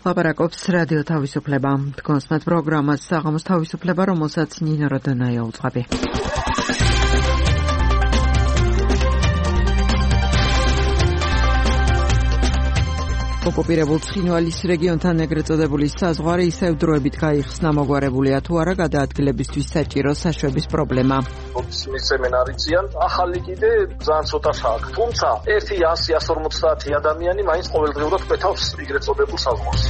ლაპარაკობს რადიო თავისუფლება. თქვენსმეთ პროგრამას საღამოს თავისუფლება, რომელსაც ნინო როდონაია უძღვები. ოკუპირებულ ცხინვალის რეგიონთან ეგრეთ წოდებული საზღვარი ისევ დროებით გაიხსნა, მოგვარებულია თუ არა გადაადგილებისთვის საჭირო საშვების პრობლემა. მისცემენ არიციან, ახალი კიდე ძალიან ცოტა აქვს. თუმცა 100-150 ადამიანი მაინც ყოველდღიურად კვეთავს ეგრეთ წოდებულ საზღვარს.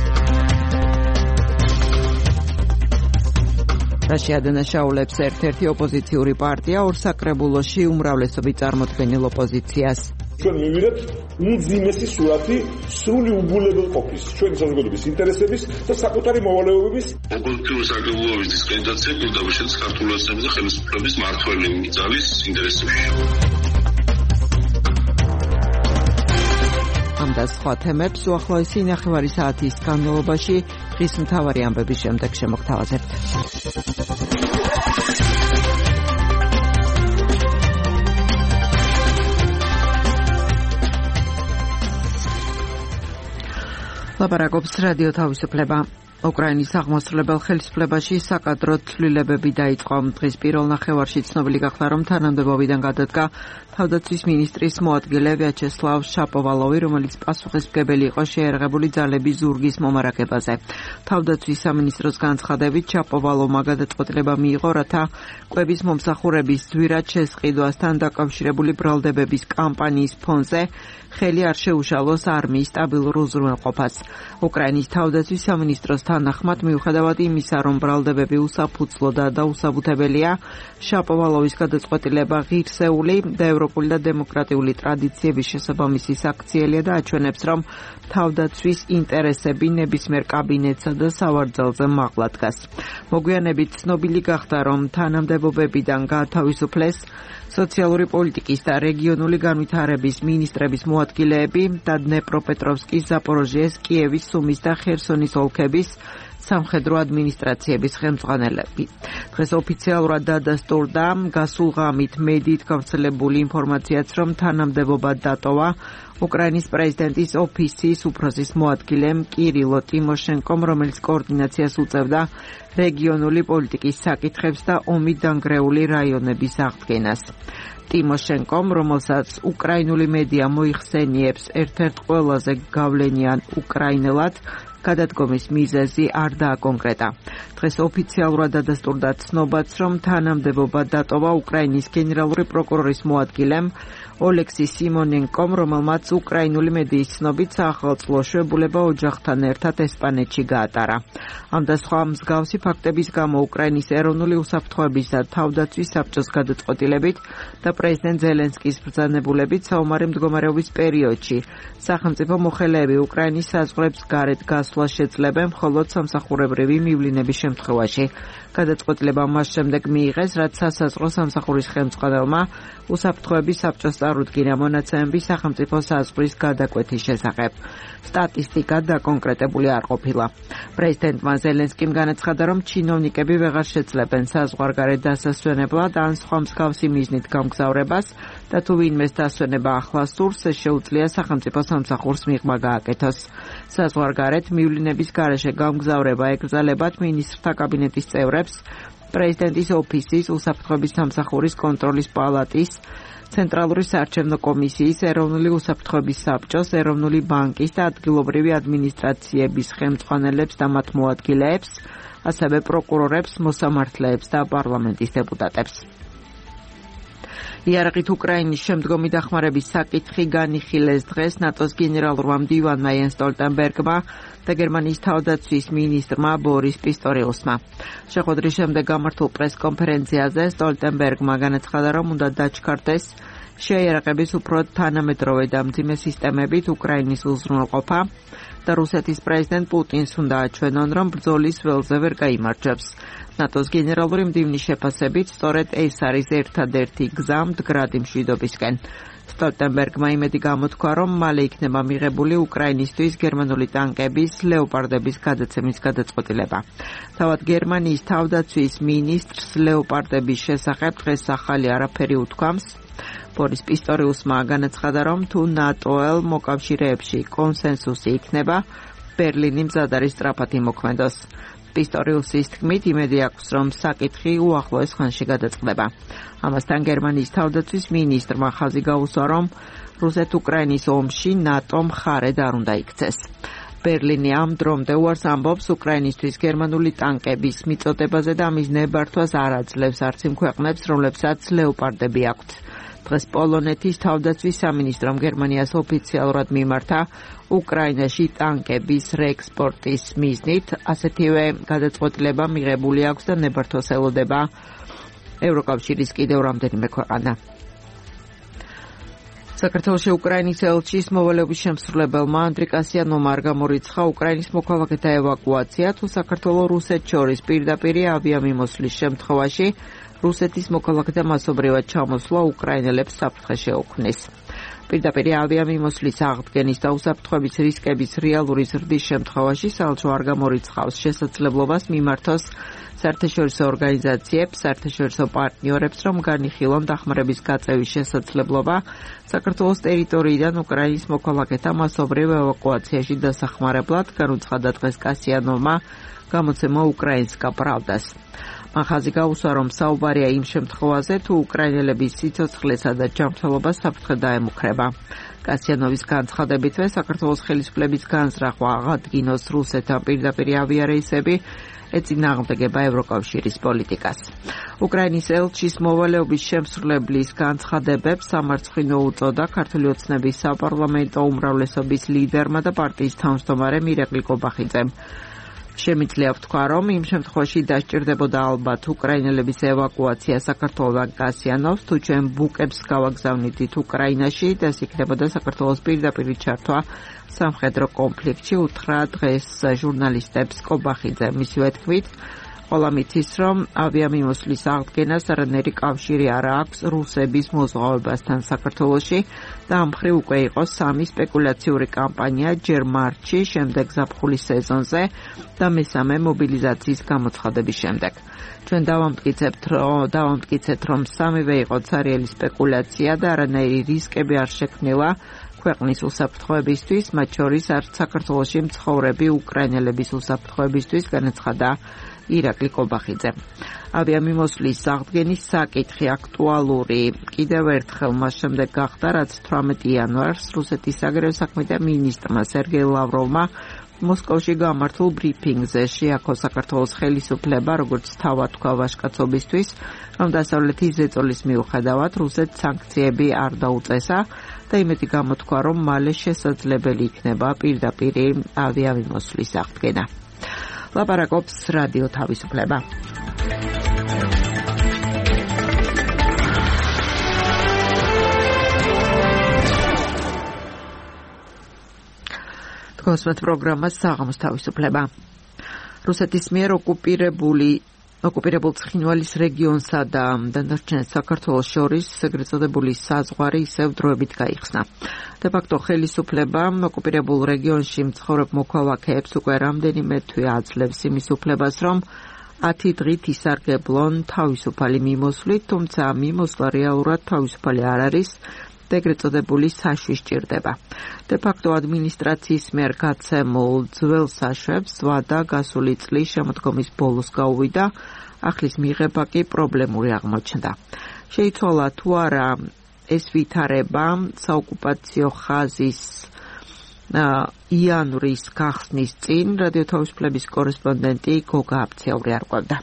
რაშია დანაშაულებს ერთ-ერთი ოპოზიციური პარტია ორსაკრებულოში უმრავლესობით წარმოქმნილ ოპოზიციას. ჩვენ მივიღებთ უმძიმესი სურათი სრული უბულებელყოფის, ჩვენი საზოგადოების ინტერესების და საკუთარი მოვალეობების. ოპოზიციური საკრებულოების დისკრედიტაცია პირდაპირ ქართულ ოცნების და ხელისუფლების მართველი ძალის ინტერესებში. ამ და სხვა თემებს უახლოესი 9 საათის განმავლობაში დღის მთავარი ამბების შემდეგ შემოგთავაზებთ. ლაპარაკობს რადიო თავისუფლება. უკრაინის აღმასრულებელ ხელისუფლებაში საკადრო ცვლილებები დაიწყო. დღის პირველ ნახევარში ცნობილი გახდა, რომ თანამდებობიდან გადადგა თავდაცვის მინისტრის მოადგილე ვიაჩესლავ შაპოვალოვი, რომელიც პასუხისმგებელი იყო შეიარაღებული ძალების ზურგის მომარაგებაზე. თავდაცვის სამინისტროს განცხადებით, შაპოვალოვმა გადაწყვეტილება მიიღო, რათა კვების მომსახურების ძვირად შესყიდვასთან დაკავშირებული ბრალდებების კამპანიის ფონზე ხელი არ შეუშალოს არმიის სტაბილურ უზრუნველყოფას. უკრაინის თავდაცვის სამინისტროს თანახმად, მიუხედავად იმისა, რომ ბრალდებები უსაფუძვლო და დაუსაბუთებელია, შაპოვალოვის გადაწყვეტილება ღირსეული და ევროპული და დემოკრატიული ტრადიციების შესაბამისი საქციელია და აჩვენებს, რომ თავდაცვის ინტერესები ნებისმიერ კაბინეტსა და სავარძელზე მაღლა დგას. მოგვიანებით ცნობილი გახდა, რომ თანამდებობებიდან გაათავისუფლეს სოციალური პოლიტიკის და რეგიონული განვითარების მინისტრების მოადგილეები და დნეპროპეტროვსკის, ზაპოროჟიეს, კიევის, სუმის და ხერსონის ოლქების სამხედრო ადმინისტრაციების ხელმძღვანელები. დღეს ოფიციალურად დადასტურდა გასულ ღამით მედიით გავრცელებული ინფორმაციაც, რომ თანამდებობა დატოვა უკრაინის პრეზიდენტის ოფისის უფროსის მოადგილემ კირილო ტიმოშენკომ, რომელიც კოორდინაციას უწევდა რეგიონული პოლიტიკის საკითხებს და ომით დანგრეული რაიონების აღდგენას. ტიმოშენკომ, რომელსაც უკრაინული მედია მოიხსენიებს ერთ-ერთ ყველაზე გავლენიან უკრაინელად, გადადგომის მიზეზი არ დააკონკრეტა. დღეს ოფიციალურად დადასტურდა ცნობაც, რომ თანამდებობა დატოვა უკრაინის გენერალური პროკურორის მოადგილემ ოლექსი სიმონენკომ, რომელმაც უკრაინული მედიის ცნობით საახალწლო შვებულება ოჯახთან ერთად ესპანეთში გაატარა. ამ და სხვა მსგავსი ფაქტების გამო უკრაინის ეროვნული უსაფრთხოების და თავდაცვის საბჭოს გადაწყვეტილებით და პრეზიდენტ ზელენსკის ბრძანებულებით საომარი მდგომარეობის პერიოდში სახელმწიფო მოხელეები უკრაინის საზღვრებს გარეთ გასვლას შეძლებენ მხოლოდ სამსახურებრივი მივლინების შემთხვევაში. გადაწყვეტილება მას შემდეგ მიიღეს, რაც სასაზღვრო სამსახურის ხელმძღვანელმა უსაფრთხოების საბჭოს წარუდგინა მონაცემები სახელმწიფო საზღვრის გადაკვეთის შესახებ. სტატისტიკა დაკონკრეტებული არ ყოფილა. პრეზიდენტმა ზელენსკიმ განაცხადა, რომ ჩინოვნიკები ვეღარ შეძლებენ საზღვარგარეთ დასასვენებლად ან სხვა მსგავსი მიზნით გამგზავრებას და თუ ვინმეს დასვენება ახლა სურს, შეუძლია სახელმწიფო სამსახურს მიღმა გააკეთოს. საზღვარგარეთ მივლინების გარეშე გამგზავრება ეკრძალებათ მინისტრთა კაბინეტის წევრებს, პრეზიდენტის ოფისის, უსაფრთხოების სამსახურის კონტროლის პალატის, ცენტრალური საარჩევნო კომისიის, ეროვნული უსაფრთხოების საბჭოს, ეროვნული ბანკის და ადგილობრივი ადმინისტრაციების ხელმძღვანელებს და მათ მოადგილეებს, ასევე პროკურორებს, მოსამართლეებს და პარლამენტის დეპუტატებს. იარაღით უკრაინის შემდგომი დახმარების საკითხი განიხილეს დღეს ნატოს გენერალურმა მდივანმა იენს სტოლტენბერგმა და გერმანიის თავდაცვის მინისტრმა ბორის პისტორიუსმა. შეხვედრის შემდეგ გამართულ პრესკონფერენციაზე სტოლტენბერგმა განაცხადა, რომ უნდა დაჩქარდეს შეიარაღების უფრო თანამედროვე და მძიმე სისტემებით უკრაინის უზრუნველყოფა და რუსეთის პრეზიდენტ პუტინს უნდა აჩვენონ, რომ ბრძოლის ველზე ვერ გაიმარჯვებს. ნატოს გენერალური მდივნის შეფასებით, სწორედ ეს არის ერთადერთი გზა მდგრადი მშვიდობისკენ. სტოლტენბერგმა იმედი გამოთქვა, რომ მალე იქნება მიღებული უკრაინისთვის გერმანული ტანკების ლეოპარდების გადაცემის გადაწყვეტილება. თავად გერმანიის თავდაცვის მინისტრს ლეოპარდების შესახებ დღეს ახალი არაფერი უთქვამს. ბორის პისტორიუსმა განაცხადა, რომ თუ ნატოელ მოკავშირეებში კონსენსუსი იქნება, ბერლინი მზად არის სწრაფად იმოქმედოს. პისტორიუსის თქმით, იმედი აქვს, რომ საკითხი უახლოეს ხანში გადაწყდება. ამასთან გერმანიის თავდაცვის მინისტრმა ხაზი გაუსვა, რომ რუსეთ-უკრაინის ომში ნატომ მხარედ არ უნდა იქცეს. ბერლინი ამ დრომდე უარს ამბობს უკრაინისთვის გერმანული ტანკების მიწოდებაზე და მის ნებართვას არ აძლევს არც იმ ქვეყნებს, რომლებსაც ლეოპარდები აქვთ. დღეს პოლონეთის თავდაცვის სამინისტრომ გერმანიას ოფიციალურად მიმართა უკრაინაში ტანკების რეექსპორტის მიზნით, ასეთივე გადაწყვეტილება მიღებული აქვს და ნებართვას ელოდება ევროკავშირის კიდევ რამდენიმე ქვეყანა. საქართველოში უკრაინის ელჩის მოვალეობის შემსრულებელმა ანდრი კასიანოვმა არ გამორიცხა უკრაინის მოქალაქეთა ევაკუაცია, თუ საქართველოს რუსეთს შორის პირდაპირი ავიამიმოსვლის შემთხვევაში რუსეთის მოქალაქეთა მასობრივად ჩამოსვლა უკრაინელებს საფრთხეში ეუქმნის. პირდაპირი ავიამიმოსვლის აღდგენის და უსაფრთხოების რისკების რეალური ზრდის შემთხვევაში საელჩო არ გამორიცხავს შესაძლებლობას მიმართოს საერთაშორისო ორგანიზაციებს, საერთაშორისო პარტნიორებს, რომ განიხილონ დახმარების გაწევის შესაძლებლობა საქართველოს ტერიტორიიდან უკრაინის მოქალაქეთა მასობრივ ევაკუაციაში დასახმარებლად, განუცხადა დღეს კასიანოვმა გამოცემა უკრაინსკა პრავდას. მან ხაზი გაუსვა, რომ საუბარია იმ შემთხვევაზე, თუ უკრაინელების სიცოცხლესა და ჯანმრთელობას საფრთხე დაემუქრება. კასიანოვის განცხადებითვე საქართველოს ხელისუფლების განზრახვა აღადგინოს რუსეთთან პირდაპირი ავიარეისები ეწინააღმდეგება ევროკავშირის პოლიტიკას. უკრაინის ელჩის მოვალეობის შემსრულებლის განცხადებებს სამარცხვინო უწოდა ქართული ოცნების საპარლამენტო უმრავლესობის ლიდერმა და პარტიის თავმჯდომარემ ირაკლი კობახიძემ. შემიძლია ვთქვა, რომ იმ შემთხვევაში დასჭირდებოდა ალბათ უკრაინელების ევაკუაცია საქართველოდან კასიანოვს, თუ ჩვენ ბუკებს გავაგზავნით უკრაინაში და ეს იქნებოდა საქართველოს პირდაპირი ჩართვა სამხედრო კონფლიქტში, უთხრა დღეს ჟურნალისტებს კობახიძე. მისივე თქმით, ყველა მიცის, რომ ავიამიმოსვლის აღდგენას არანაირი კავშირი არ აქვს რუსების მოზღვავებასთან საქართველოში და ამ მხრივ უკვე იყო სამი სპეკულაციური კამპანია ჯერ მარტში, შემდეგ ზაფხულის სეზონზე და მესამე მობილიზაციის გამოცხადების შემდეგ. ჩვენ დავამტკიცეთ, რომ სამივე იყო ცარიელი სპეკულაცია და არანაირი რისკები არ შექმნილა ქვეყნის უსაფრთხოებისთვის, მათ შორის არც საქართველოში მცხოვრები უკრაინელების უსაფრთხოებისთვის, განაცხადა ირაკლი კობახიძე. ავიამიმოსვლის აღდგენის საკითხი აქტუალური კიდევ ერთხელ მას შემდეგ გახდა, რაც 18 იანვარს რუსეთის საგარეო საქმეთა მინისტრმა სერგეი ლავროვმა მოსკოვში გამართულ ბრიფინგზე შეაქო საქართველოს ხელისუფლება, როგორც თავად თქვა ვაჟკაცობისთვის, რომ დასავლეთის ზეწოლის მიუხედავად რუსეთს სანქციები არ დაუწესა და იმედი გამოთქვა, რომ მალე შესაძლებელი იქნება პირდაპირი ავიამიმოსვლის აღდგენა. ლაპარაკობს რადიო თავისუფლება. თქვენს პროგრამას საღამოს თავისუფლება. რუსეთის მიერ ოკუპირებულ ცხინვალის რეგიონსა და დანარჩენ საქართველოს შორის ეგრეთ წოდებული საზღვარი ისევ დროებით გაიხსნა. De facto ხელისუფლებამ ოკუპირებულ რეგიონში მცხოვრებ მოქალაქეებს უკვე რამდენიმე თვე აძლევს იმის უფლებას, რომ 10 დღით ისარგებლონ თავისუფალი მიმოსვლით, თუმცა მიმოსვლა რეალურად თავისუფალი არ არის და ეგრეთ წოდებული საშუი სჭირდება. De facto ადმინისტრაციის მიერ გაცემულ ძველ საშვებს ვადა გასული წლის შემოდგომის ბოლოს გაუვიდა, ახლის მიღება კი პრობლემური აღმოჩნდა. შეიცვალა თუ არა ეს ვითარება საოკუპაციო ხაზის იანვრის გახსნის წინ რადიო თავისუფლების კორესპონდენტი გოგა აბციური არკვევდა.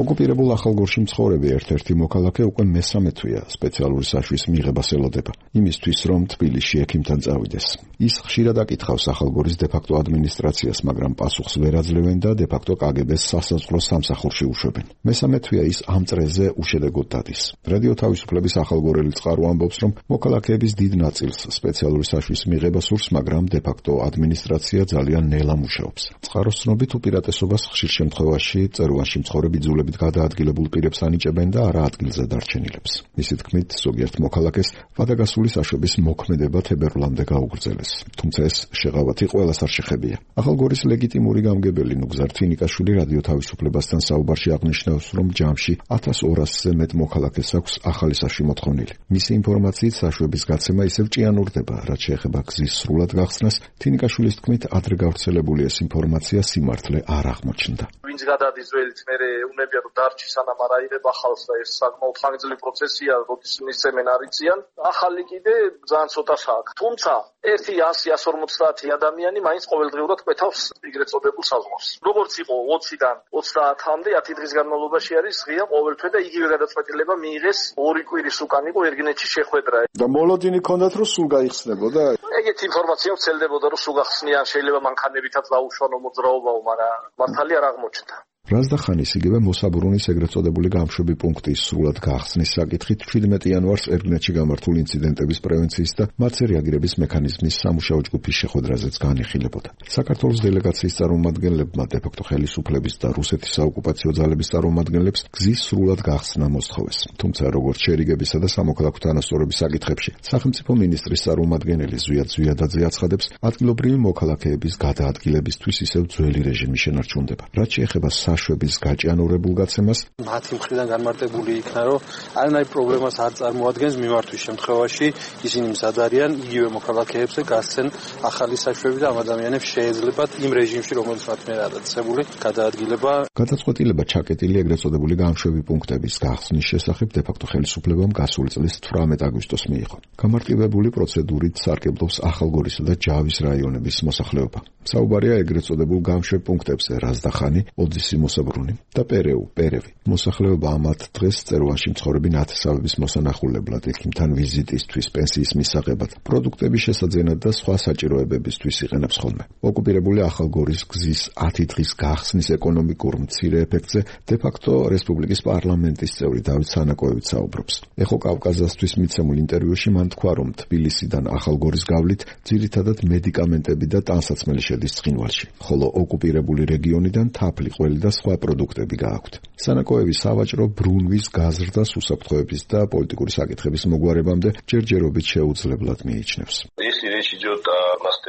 ოკუპირებულ ახალგორში მცხოვრები ერთ-ერთი მოქალაქე უკვე მესამე თვეა სპეციალური საშვის მიღებას ელოდება, იმისთვის რომ თბილისში ექიმთან წავიდეს. ის ხშირად აკითხავს ახალგორის დე-ფაქტო ადმინისტრაციას, მაგრამ პასუხს ვერ აძლევენ და დე-ფაქტო კგბ-ს სასაზღვრო სამსახურში უშვებენ. მესამე თვეა ის ამ წრეზე უშედეგოდ დადის. რადიო თავისუფლების ახალგორელი წყარო ამბობს, რომ მოქალაქეების დიდ ნაწილს სპეციალური საშვის მიღება სურს, მაგრამ დე-ფაქტო ადმინისტრაცია ძალიან ნელა მუშაობს. წყაროს ცნობით უპირატესობას ხშირ შემთხვევაში წერუანში მცხოვრები იძულებით მართლობით გადაადგილებულ პირებს ანიჭებენ და არა ადგილზე დარჩენილებს. მისი თქმით, ზოგიერთ მოქალაქეს ვადაგასული საშვების მოქმედება თებერვლამდე გაუგრძელეს. თუმცა ეს შეღავათი ყველას არ შეხებია. ახალგორის ლეგიტიმური გამგებელი ნუგზარ თინიკაშვილი რადიო თავისუფლებასთან საუბარში აღნიშნავს, რომ ჯამში 1200-ზე მეტ მოქალაქეს აქვს ახალი საშვი მოთხოვნილი. მისი ინფორმაციით საშვების გაცემა ისევ ჭიანურდება, რაც შეეხება გზის სრულად გახსნას. თინიკაშვილის თქმით, ადრე გავრცელებული ეს ინფორმაცია სიმართლე არ აღმოჩნდა. ვინც გადადის ველით, მე უნებია რომ დარჩი სანამ არ აიღება ხალხს და ეს საკმაოდ ხანგრძლივი პროცესია, როდის მისცემენ არიციან. ახალი კიდე ძალიან ცოტა აქვს. თუმცა 100-150 ადამიანი მაინც ყოველდღიურად კვეთავს ეგრეთ წოდებულ საზღვარს. როგორც იყო 20-დან 30-მდე 10 დღის განმავლობაში არის ღია ყოველთვე და იგივე გადაწყვეტილება მიიღეს 2 კვირის უკან იყო ერგინეთში შეხვედრა. და მოლოდინი ქონდათ რომ სულ გაიხსნებოდა? ეგეთი ინფორმაცია ვცელდებოდა რომ სულ გახსნიან, შეიძლება მანქანებითაც დაუშვანო მოძრაობაო, მაგრამ მართალი არ აღმოჩნდა. რაზდახანის იგივე მოსაბრუნის ეგრეთ წოდებული გამშვები პუნქტის სრულად გახსნის საკითხით 17 იანვარს ერგინეთში გამართულ ინციდენტების პრევენციის და მათზე რეაგირების მექანიზმის სამუშაო ჯგუფის შეხვედრაზეც განიხილებოდა. საქართველოს დელეგაციის წარმომადგენლებმა დე-ფაქტო ხელისუფლების და რუსეთის საოკუპაციო ძალების წარმომადგენლებს გზის სრულად გახსნა მოსთხოვეს. თუმცა როგორც შერიგებისა და სამოქალაქო თანასწორობის საკითხებში სახელმწიფო მინისტრის წარმომადგენელი ზვიად ზვიადაძე აცხადებს, ადგილობრივი მოქალაქეების გადაადგილებისთვის ისევ ძველი რეჟიმი შენარჩუნდება. რაც შეეხება საშვების გაჭიანურებულ გაცემას, მათი მხრიდან განმარტებული იქნა, რომ არანაირ პრობლემას არ წარმოადგენს მიმართვის შემთხვევაში ისინი მზად არიან იგივე მოქალაქეებზე გასცენ ახალი საშვები და ამ ადამიანებს შეეძლებათ იმ რეჟიმში, რომელიც მათ მიერ ადასტურებული გადაადგილება. გადაწყვეტილება ჩაკეტილი ეგრეთ წოდებული გამშვები პუნქტების გახსნის შესახებ დე-ფაქტო ხელისუფლებამ გასული წლის 18 აგვისტოს მიიღო. გამარტივებული პროცედურით სარგებლობს ახალგორისა და ჯავის რაიონების მოსახლეობა. საუბარია ეგრეთ წოდებულ გამშვებ პუნქტებზე რაზდახანი, ოძისი მოსაბრუნი და პერევი. მოსახლეობა ამათ დღეს წერვანში მცხოვრები ნათესავების მოსანახულებლად, იქიმთან ვიზიტისთვის, პენსიის მისაღებად, პროდუქტების შესაძენად და სხვა საჭიროებებისთვის იყენებს ხოლმე. ოკუპირებული ახალგორის გზის 10 დღის გახსნის ეკონომიკურ მცირე ეფექტზე დე-ფაქტო რესპუბლიკის პარლამენტის წევრი დავით სანაკოევიც საუბრობს. ეხო კავკაზასთვის მიცემულ ინტერვიუში მან თქვა, რომ თბილისიდან ახალგორის გავლით ძირითადად მედიკამენტები და ტანსაცმელი შედის ცხინვალში, ხოლო ოკუპირებული რეგიონიდან თაფლი, ყველი და სხვა პროდუქტები გააქვთ. სანაკოევი სავაჭრო ბრუნვის გაზრდას უსაფრთხოების და პოლიტიკური საკითხების მოგვარებამდე ჯერჯერობით შეუძლებლად მიიჩნევს.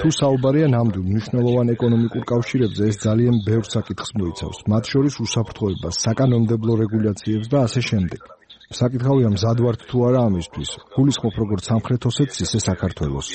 თუ საუბარია ნამდვილ მნიშვნელოვან ეკონომიკურ კავშირებზე, ეს ძალიან ბევრ საკითხს მოიცავს, მათ შორის უსაფრთხოებას, საკანონმდებლო რეგულაციებს და ასე შემდეგ. საკითხავია მზად ვართ თუ არა ამისთვის. გულისხმობ როგორც სამხრეთ ოსეთს, ისე საქართველოს.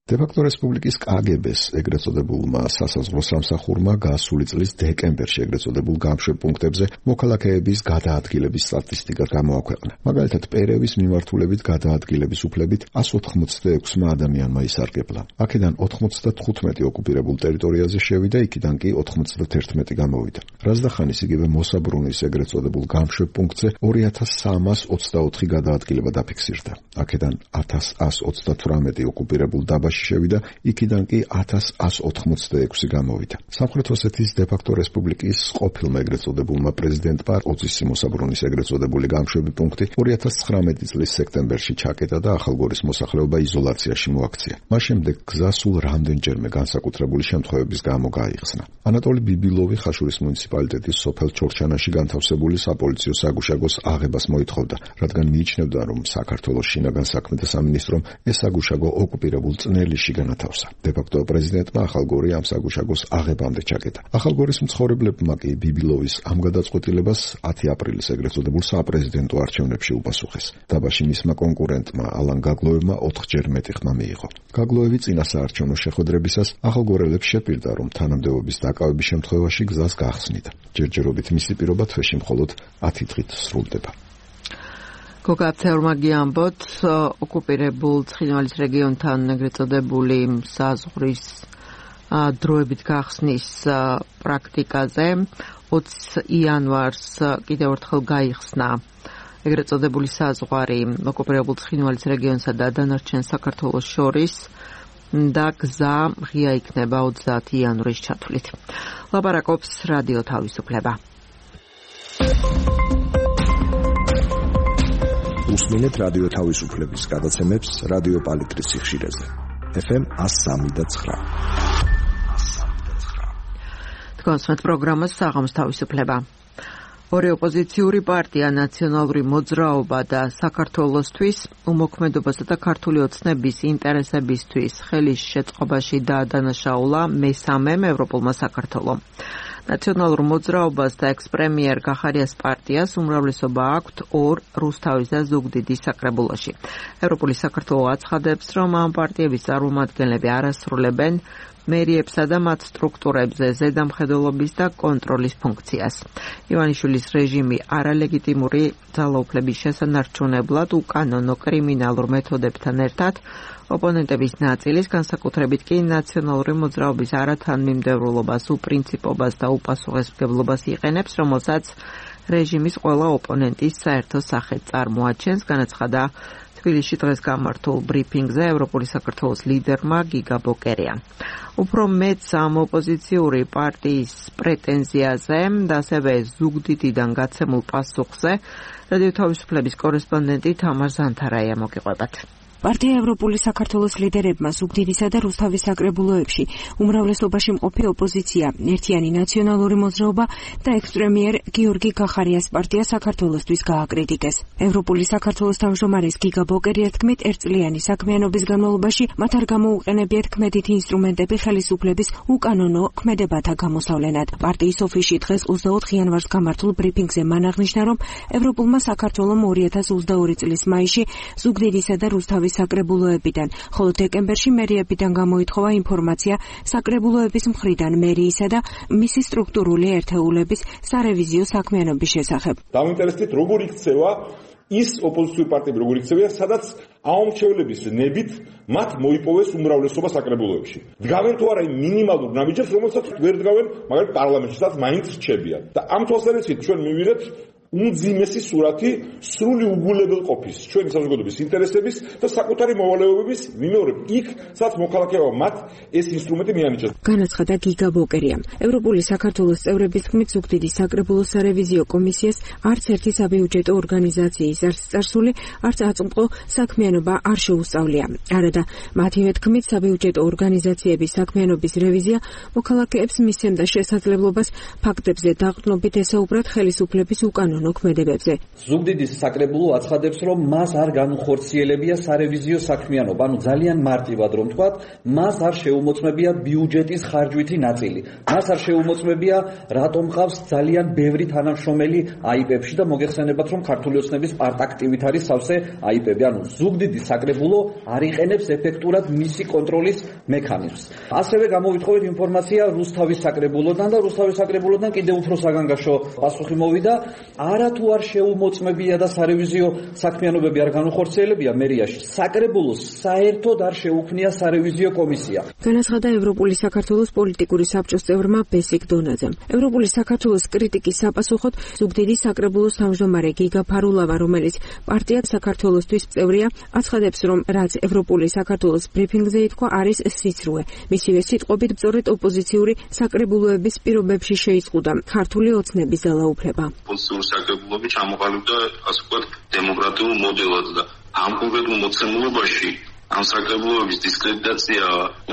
დე-ფაქტო რესპუბლიკის კგბ-ს ეგრეთ წოდებულმა სასაზღვრო სამსახურმა გასული წლის დეკემბერში ეგრეთ წოდებულ გამშვებ პუნქტებზე მოქალაქეების გადაადგილების სტატისტიკა გამოაქვეყნა. მაგალითად, პერევის მიმართულებით გადაადგილების უფლებით 186 ადამიანმა ისარგებლა. აქედან 95 ოკუპირებულ ტერიტორიაზე შევიდა, იქიდან კი 91 გამოვიდა. რაზდახანის იგივე მოსაბრუნის ეგრეთ წოდებულ გამშვებ პუნქტზე 2324 გადაადგილება დაფიქსირდა. აქედან 1128 ოკუპირებულ დაბაში შევიდა, იქიდან კი 1186 გამოვიდა. სამხრეთ ოსეთის დე-ფაქტო რესპუბლიკის ყოფილმა ეგრეთ წოდებულმა პრეზიდენტმა ოძისი მოსაბრუნის ეგრეთ წოდებული გამშვები პუნქტი 2019 წლის სექტემბერში ჩაკეტა და ახალგორის მოსახლეობა იზოლაციაში მოაქცია. მას შემდეგ გზა სულ რამდენჯერმე განსაკუთრებული შემთხვევების გამო გაიხსნა. ანატოლი ბიბილოვი ხაშურის მუნიციპალიტეტის სოფელ ჩორჩანაში განთავსებული საპოლიციო საგუშაგოს აღებას მოითხოვდა, რადგან მიიჩნევდა, რომ საქართველოს შინაგან საქმეთა სამინისტრომ ეს საგუშაგო ოკუპირებულ წნელიში განათავსა. დე-ფაქტო პრეზიდენტმა ახალგორი ამ საგუშაგოს აღებამდე ჩაკეტა. ახალგორის მცხოვრებლებმა კი ბიბილოვის ამ გადაწყვეტილებას 10 აპრილის ეგრეთ წოდებულ საპრეზიდენტო არჩევნებში უპასუხეს. დაბაში მისმა კონკურენტმა ალან გაგლოევმა 4-ჯერ მეტი ხმა მიიღო. გაგლოევი წინა საარჩევნო შეხვედრებისას ახალგორელებს შეპირდა, რომ თანამდებობის დაკავების შემთხვევაში გზას გახსნიდა. ჯერჯერობით მისი პირობა თვეში მხოლოდ 10 დღით სრულდება. გოგა აფცეურმა გიამბოთ, ოკუპირებულ ცხინვალის რეგიონთან ეგრეთ წოდებული საზღვრის დროებით გახსნის პრაქტიკაზე 20 იანვარს კიდევ ერთხელ გაიხსნა ეგრეთ წოდებული საზღვარი ოკუპირებულ ცხინვალის რეგიონსა და დანარჩენ საქართველოს შორის და გზა ღია იქნება 30 იანვრის ჩათვლით. ლაპარაკობს რადიო თავისუფლება. უსმინეთ რადიო თავისუფლების გადაცემებს რადიო პალიტრის სიხშირეზე. FM 103.9. გასვეთ პროგრამას საღამოს თავისუფლება. ორი ოპოზიციური პარტია ნაციონალური მოძრაობა და საქართველოსთვის უმოქმედობასა და ქართული ოცნების ინტერესებისთვის ხელის შეწყობაში დაადანაშაულა მესამემ ევროპულმა საქართველომ. ნაციონალურ მოძრაობას და ექს-პრემიერ გახარიას პარტიას უმრავლესობა აქვთ ორ რუსთავის და ზუგდიდის საკრებულოში. ევროპული საქართველო აცხადებს, რომ ამ პარტიების წარმომადგენლები არ ასრულებენ მერიებსა და მათ სტრუქტურებზე ზედამხედველობის და კონტროლის ფუნქციას. ივანიშვილის რეჟიმი არალეგიტიმური ძალაუფლების შესანარჩუნებლად უკანონო კრიმინალურ მეთოდებთან ერთად ოპონენტების ნაწილის, განსაკუთრებით კი ნაციონალური მოძრაობის არათანმიმდევრულობას, უპრინციპობას და უპასუხისმგებლობას იყენებს, რომელსაც რეჟიმის ყველა ოპონენტის საერთო სახე წარმოაჩენს, განაცხადა თბილისში დღეს გამართულ ბრიფინგზე ევროპული საქართველოს ლიდერმა გიგა ბოკერია. უფრო მეც ამ ოპოზიციური პარტიის პრეტენზიაზე და ასევე ზუგდიდიდან გაცემულ პასუხზე რადიო თავისუფლების კორესპონდენტი თამარ ზანთარაია მოგიყვებათ. პარტია ევროპული საქართველოს ლიდერებმა ზუგდიდისა და რუსთავის საკრებულოებში უმრავლესობაში მყოფი ოპოზიცია, ერთიანი ნაციონალური მოძრაობა და ექს-პრემიერ გიორგი გახარიას პარტია საქართველოსთვის გააკრიტიკეს. ევროპული საქართველოს თავმჯდომარის გიგა ბოკერიას თქმით, ერთწლიანი საქმიანობის განმავლობაში მათ არ გამოუყენებიათ ქმედითი ინსტრუმენტები ხელისუფლების უკანონო ქმედებათა გამოსავლენად. პარტიის ოფისში დღეს 24 იანვარს გამართულ ბრიფინგზე მან აღნიშნა, რომ ევროპულმა საქართველომ 2022 წლის მაისში ზუგდიდისა და რუსთავის საკრებულოებიდან, ხოლო დეკემბერში მერიებიდან გამოითხოვა ინფორმაცია საკრებულოების მხრიდან მერიისა და მისი სტრუქტურული ერთეულების სარევიზიო საქმიანობის შესახებ. დავინტერესდით, როგორ იქცევა ის ოპოზიციური პარტიები, როგორ იქცევიან, სადაც აუმრჩევლების ნებით მათ მოიპოვეს უმრავლესობა საკრებულოებში. დგავენ თუ არა იმ მინიმალურ ნაბიჯებს, რომელსაც ვერ დგავენ მაგალითად პარლამენტში, სადაც მაინც რჩებიან. და ამ თვალსაზრისით ჩვენ მივიღეთ უმძიმესი სურათი სრული უგულებელყოფის, ჩვენი საზოგადოების ინტერესების და საკუთარი მოვალეობების მიმეორებ იქ, სადაც მოქალაქეებმა მათ ეს ინსტრუმენტი მიანიჭეს. განაცხადა გიგა ბოკერია. ევროპული საქართველოს წევრების თქმით, ზუგდიდის საკრებულოს სარევიზიო კომისიას არც ერთი საბიუჯეტო ორგანიზაციის არც წარსული, არც აწმყო საქმიანობა არ შეუსწავლია. არადა მათივე თქმით, საბიუჯეტო ორგანიზაციების საქმიანობის რევიზია მოქალაქეებს მისცემდა შესაძლებლობას ფაქტებზე დაყრდნობით ესაუბრათ ხელისუფლების უკანონო ქმედებებზე. ზუგდიდის საკრებულო აცხადებს, რომ მას არ განუხორციელებია სარევიზიო საქმიანობა, ანუ ძალიან მარტივად რომ ვთქვათ, მას არ შეუმოწმებია ბიუჯეტის ხარჯვითი ნაწილი. მას არ შეუმოწმებია, რატომ ყავს ძალიან ბევრი თანამშრომელი აიპებში და მოგეხსენებათ, რომ ქართული ოცნების პარტაქტივით არის სავსე აიპები. ანუ ზუგდიდის საკრებულო არ იყენებს ეფექტურად მისი კონტროლის მექანიზმს. ასევე გამოვითხოვეთ ინფორმაცია რუსთავის საკრებულოდან და რუსთავის საკრებულოდან კიდევ უფრო საგანგაშო პასუხი მოვიდა. არათუ არ შეუმოწმებია და სარევიზიო საქმიანობები არ განუხორციელებია მერიაში, საკრებულოს საერთოდ არ შეუქმნია სარევიზიო კომისია. განაცხადა ევროპული საქართველოს პოლიტიკური საბჭოს წევრმა ბესიკ დონაძემ. ევროპული საქართველოს კრიტიკის საპასუხოდ ზუგდიდის საკრებულოს თავმჯდომარე გიგა ფარულავა, რომელიც პარტია საქართველოსთვის წევრია, აცხადებს, რომ რაც ევროპული საქართველოს ბრიფინგზე ითქვა, არის სიცრუე. მისივე სიტყვებით, სწორედ ოპოზიციური საკრებულოების პირობებში შეიზღუდა ქართული ოცნების ძალაუფლება. საკრებულოები ჩამოყალიბდა, ასე ვთქვათ, დემოკრატიულ მოდელად და ამ კონკრეტულ მოცემულობაში ამ საკრებულოების დისკრედიტაცია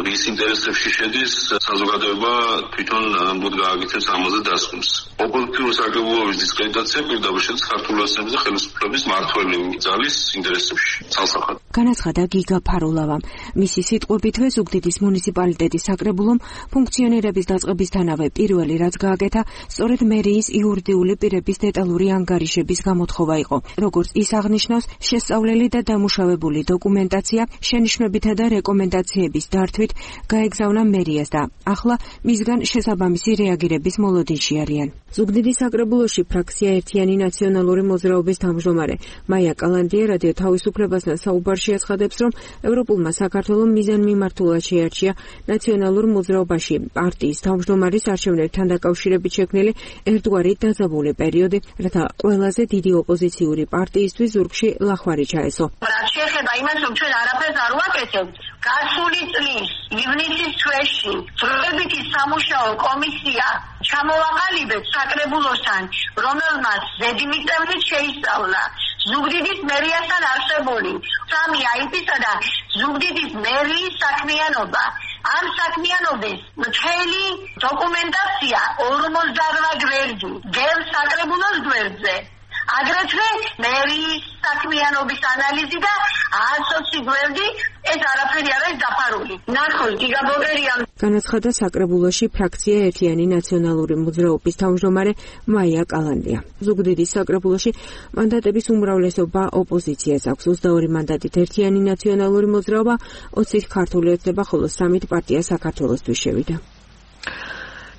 რის ინტერესებში შედის, საზოგადოება თვითონ ამბოდ გააკეთებს ამაზე დასკვნას. ოპოზიციური საკრებულოების დისკრედიტაცია პირდაპირ შედის ქართული ოცნების და ხელისუფლების მართველი ძალის ინტერესებში. ცალსახად. განაცხადა გიგა ფარულავა. მისი სიტყვებითვე ზუგდიდის მუნიციპალიტეტის საკრებულომ ფუნქციონერების დაწყებისთანავე პირველი რაც გააკეთა, სწორედ მერიის იურიდიული პირების დეტალური ანგარიშების გამოთხოვა იყო. როგორც ის აღნიშნავს, შესწავლელი და დამუშავებული დოკუმენტაცია შენიშვნებითა და რეკომენდაციების დართვით გაეგზავნა მერიას და ახლა მისგან შესაბამისი რეაგირების მოლოდინში არიან. ზუგდიდის საკრებულოში ფრაქცია ერთიანი ნაციონალური მოძრაობის თავმჯდომარე მაია კალანდია რადიო თავისუფლებასთან საუბარში აცხადებს, რომ ევროპულმა საქართველომ მიზანმიმართულად შეარჩია ნაციონალურ მოძრაობაში პარტიის თავმჯდომარის არჩევნებთან დაკავშირებით შექმნილი ერთგვარი დაძაბული პერიოდი, რათა ყველაზე დიდი ოპოზიციური პარტიისთვის ზურგში ლახვარი ჩაესო. შეეხება იმას, რომ ჩვენ არაფერს არ ვაკეთებთ. გასული წლის ივნისის თვეში დროებითი სამუშაო კომისია ჩამოვაყალიბეთ საკრებულოსთან, რომელმაც ზედმიწევნით შეისწავლა ზუგდიდის მერიასთან არსებული 3 აიპისა და ზუგდიდის მერიის საქმიანობა ამ საქმიანობის მთელი დოკუმენტაცია 48 გვერდი გევს საკრებულოს გვერდზე. აგრეთვე მერის საქმიანობის ანალიზი და 120 გვერდი ეს არაფერი არ არის დაფარული. ნახოთ, გიგაბოგერია. განაცხადა საკრებულოში ფრაქცია ერთიანი ნაციონალური მოძრაობის თავმჯდომარე მაია კალანდია. ზუგდიდის საკრებულოში მანდატების უმრავლესობა ოპოზიციას აქვს. 22 მანდატით ერთიანი ნაციონალური მოძრაობა, 20-ით ქართული ოცნება, ხოლო 3-ით პარტია საქართველოსთვის შევიდა.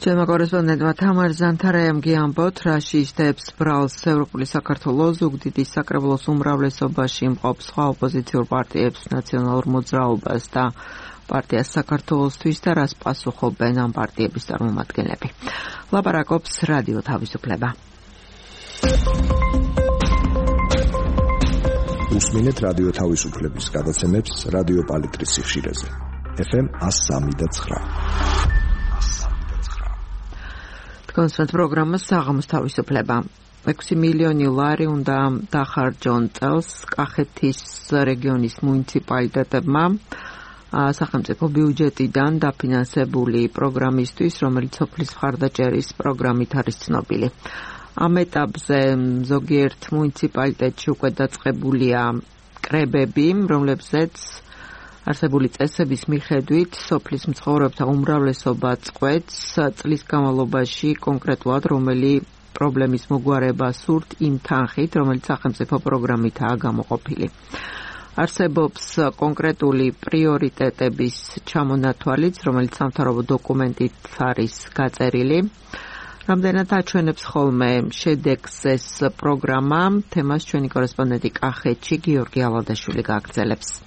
ჩემო კორესპონდენტმა თამარ ზანთარაიამ გიამბოთ, რა შეისდებს ბრალს ევროპული საქართველოს ზუგდიდის საკრებულოს უმრავლესობაში მყოფ სხვა ოპოზიციურ პარტიებს, ნაციონალურ მოძრაობას და პარტიას საქართველოსთვის და რას პასუხობენ ამ პარტიების წარმომადგენლები. ლაპარაკობს რადიო თავისუფლება. უსმინეთ რადიო თავისუფლების გადაცემებს რადიო პალიტრის სიხშირეზე. FM 103.9. კონსერტ პროგრამა საღამოს თავისუფლება. 6 მილიონი ლარი უნდა დახარჯონ წელს კახეთის რეგიონის მუნიციპალიტეტებმა სახელმწიფო ბიუჯეტიდან დაფინანსებული პროგრამისთვის, რომელიც სოფლის მხარდაჭერის პროგრამით არის ცნობილი. ამ ეტაპზე ზოგიერთ მუნიციპალიტეტში უკვე დაწყებულია კრებები, რომლებზეც არსებული წესების მიხედვით სოფლის მცხოვრებთა უმრავლესობა წყვეტს წლის განმავლობაში კონკრეტულად რომელი პრობლემის მოგვარება სურთ იმ თანხით, რომელიც სახელმწიფო პროგრამითაა გამოყოფილი. არსებობს კონკრეტული პრიორიტეტების ჩამონათვალიც, რომელიც სამთავრობო დოკუმენტით არის გაწერილი. რამდენად აჩვენებს ხოლმე შედეგს ეს პროგრამა, თემას ჩვენი კორესპონდენტი კახეთში გიორგი ალადაშვილი გააგრძელებს.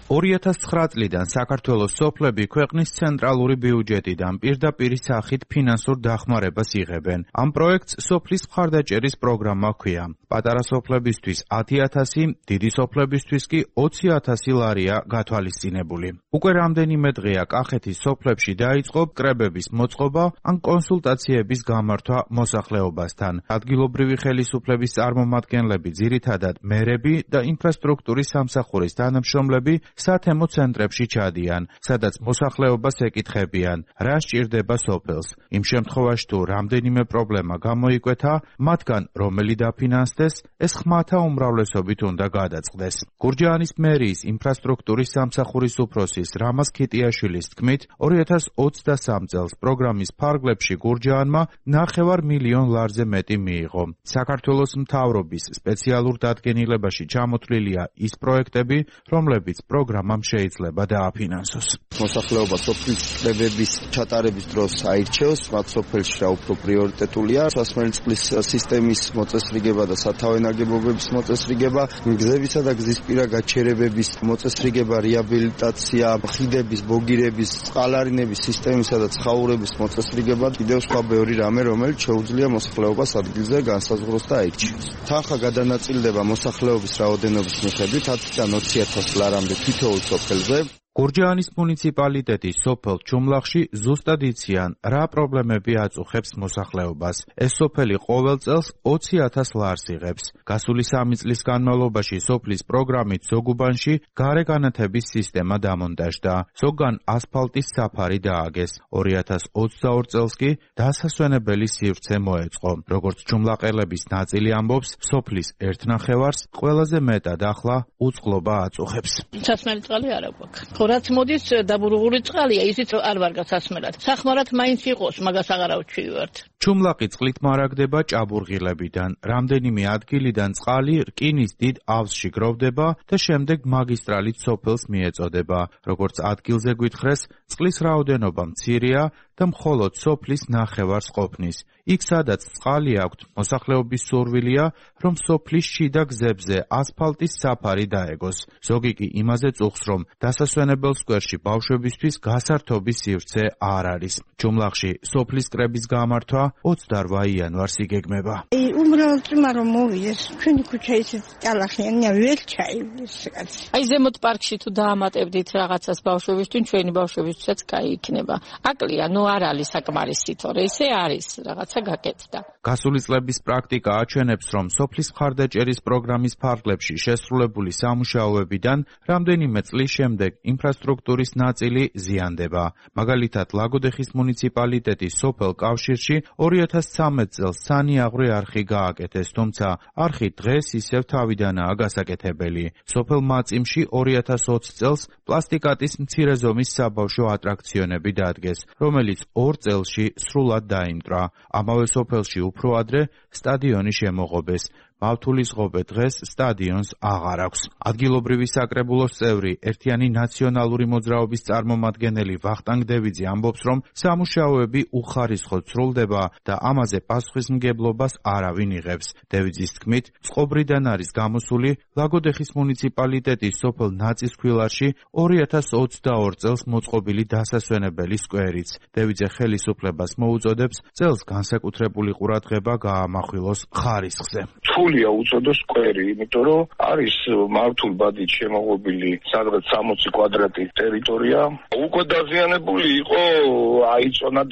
2009 წლიდან საქართველოს სოფლები ქვეყნის ცენტრალური ბიუჯეტიდან პირდაპირ სახით ფინანსურ დახმარებას იღებენ. ამ პროექტს სოფლის მხარდაჭერის პროგრამა ჰქვია. პატარა სოფლებისთვის 10.000, დიდი სოფლებისთვის კი 20.000 ლარია გათვალისწინებული. უკვე რამდენიმე დღეა კახეთის სოფლებში დაიწყო კრებების მოწყობა ან კონსულტაციების გამართვა მოსახლეობასთან. ადგილობრივი ხელისუფლების წარმომადგენლები, ძირითადად მერები და ინფრასტრუქტურის სამსახურის თანამშრომლები სათემო ცენტრებში ჩადიან, სადაც მოსახლეობას ეკითხებიან, რა სჭირდება სოფელს. იმ შემთხვევაში თუ რამდენიმე პრობლემა გამოიკვეთა, მათგან რომელი დაფინანსდეს, ეს ხმათა უმრავლესობით უნდა გადაწყდეს. გურჯაანის მერიის ინფრასტრუქტურის სამსახურის უფროსის რამაზ ქიტიაშვილის თქმით, 2023 წელს პროგრამის ფარგლებში გურჯაანმა 9 მილიონ ლარზე მეტი მიიღო. საქართველოს მთავრობის სპეციალურ დადგენილებაში ჩამოთვლილია ის პროექტები, რომლებიც პროგრამამ შეიძლება დააფინანსოს. მოსახლეობა სოფლის კრებების ჩატარების დროს აირჩევს, მათ სოფელში რა უფრო პრიორიტეტულია, სასმელი წყლის სისტემის მოწესრიგება და სათავე ნაგებობების მოწესრიგება, გზებისა და გზისპირა გაჩერებების მოწესრიგება, რეაბილიტაცია, ხიდების, ბოგირების, წყალარინების სისტემისა და ცხაურების მოწესრიგება, კიდევ სხვა ბევრი რამე, რომელიც შეუძლია მოსახლეობას ადგილზე განსაზღვროს და აირჩიოს. თანხა გადანაწილდება მოსახლეობის რაოდენობის მიხედვით 10-დან 20.000 ლარამდე თითოეულ სოფელზე. გურჯაანის მუნიციპალიტეტის სოფელ ჩუმლახში ზუსტად იციან, რა პრობლემები აწუხებს მოსახლეობას. ეს სოფელი ყოველ წელს 20.000 ლარს იღებს. გასული 3 წლის განმავლობაში სოფლის პროგრამით ზოგუბანში გარეგანათების სისტემა დამონტაჟდა. ზოგან ასფალტის საფარი დააგეს. 2022 წელს კი დასასვენებელი სივრცე მოეწყო. როგორც ჩუმლაყელების ნაწილი ამბობს, სოფლის 1/9 ყველაზე მეტად ახლა უწყლობა აწუხებს. სასმელი წყალი არ აქვს. რაც მოდის დაბურღული წყალია, ისიც არ ვარ გასასმელად. სახმარად მაინც იყოს, მაგას აღარ ავჩივართ. ჩუმლაყი წყლით მარაგდება ჭაბურღილებიდან. რამდენიმე ადგილიდან წყალი რკინის დიდ ავზში გროვდება და შემდეგ მაგისტრალით სოფელს მიეწოდება. როგორც ადგილზე გვითხრეს, წყლის რაოდენობა მცირეა და მხოლოდ სოფლის 9 ყოფნის. იქ სადაც წყალი აქვთ, მოსახლეობის სურვილია, რომ სოფლის შიდა გზებზე ასფალტის საფარი დაეგოს. ზოგი კი იმაზე წუხს, რომ დასასვენებელ სკვერში ბავშვებისთვის გასართობის სივრცე არ არის. ჩუმლახში სოფლის კრების გამართვა 28 იანვარს იგეგმება. უბრალოდ წმა რომ მოვიდეს, ჩვენი ქუჩა ისეთ ტალახიანია, ვერ ჩაივლის კაც. ზემოთ პარკში თუ დაამატებდით რაღაცას ბავშვებისთვის, ჩვენი ბავშვებისთვისაც კაი იქნება. აკლია, არ არის საკმარისი, თორე ისე არის, რაღაცა გაკეთდა. გასული წლების პრაქტიკა აჩვენებს, რომ სოფლის მხარდაჭერის პროგრამის ფარგლებში შესრულებული სამუშაოებიდან რამდენიმე წლის შემდეგ ინფრასტრუქტურის ნაწილი ზიანდება. მაგალითად, ლაგოდეხის მუნიციპალიტეტის სოფელ კავშირში 2013 წელს სანიაღვრე არხი გააკეთეს, თუმცა არხი დღეს ისევ თავიდანაა გასაკეთებელი. სოფელ მაწიმში 2020 წელს პლასტიკატის მცირე ზომის საბავშვო ატრაქციონები დადგეს, რომელიც 2 წელში სრულად დაიმტრა. ამავე სოფელში უფრო ადრე სტადიონი შემოღობეს. მავთულის ღობე დღეს სტადიონს აღარ აქვს. ადგილობრივი საკრებულოს წევრი, ერთიანი ნაციონალური მოძრაობის წარმომადგენელი ვახტანგ დევიძე ამბობს, რომ სამუშაოები უხარისხოდ სრულდება და ამაზე პასუხისმგებლობას არავინ იღებს. დევიძის თქმით, წყობრიდან არის გამოსული ლაგოდეხის მუნიციპალიტეტის სოფელ ნაწისქვილარში 2022 წელს მოწყობილი დასასვენებელი სკვერიც. დევიძე ხელისუფლებას მოუწოდებს წელს განსაკუთრებული ყურადღება გაამახვილოს ხარისხზე. რთულია უწოდოს სკვერი, იმიტომ რომ არის მართულ ბადით შემოღობილი სადღაც 60 კვადრატი ტერიტორია. უკვე დაზიანებული იყო,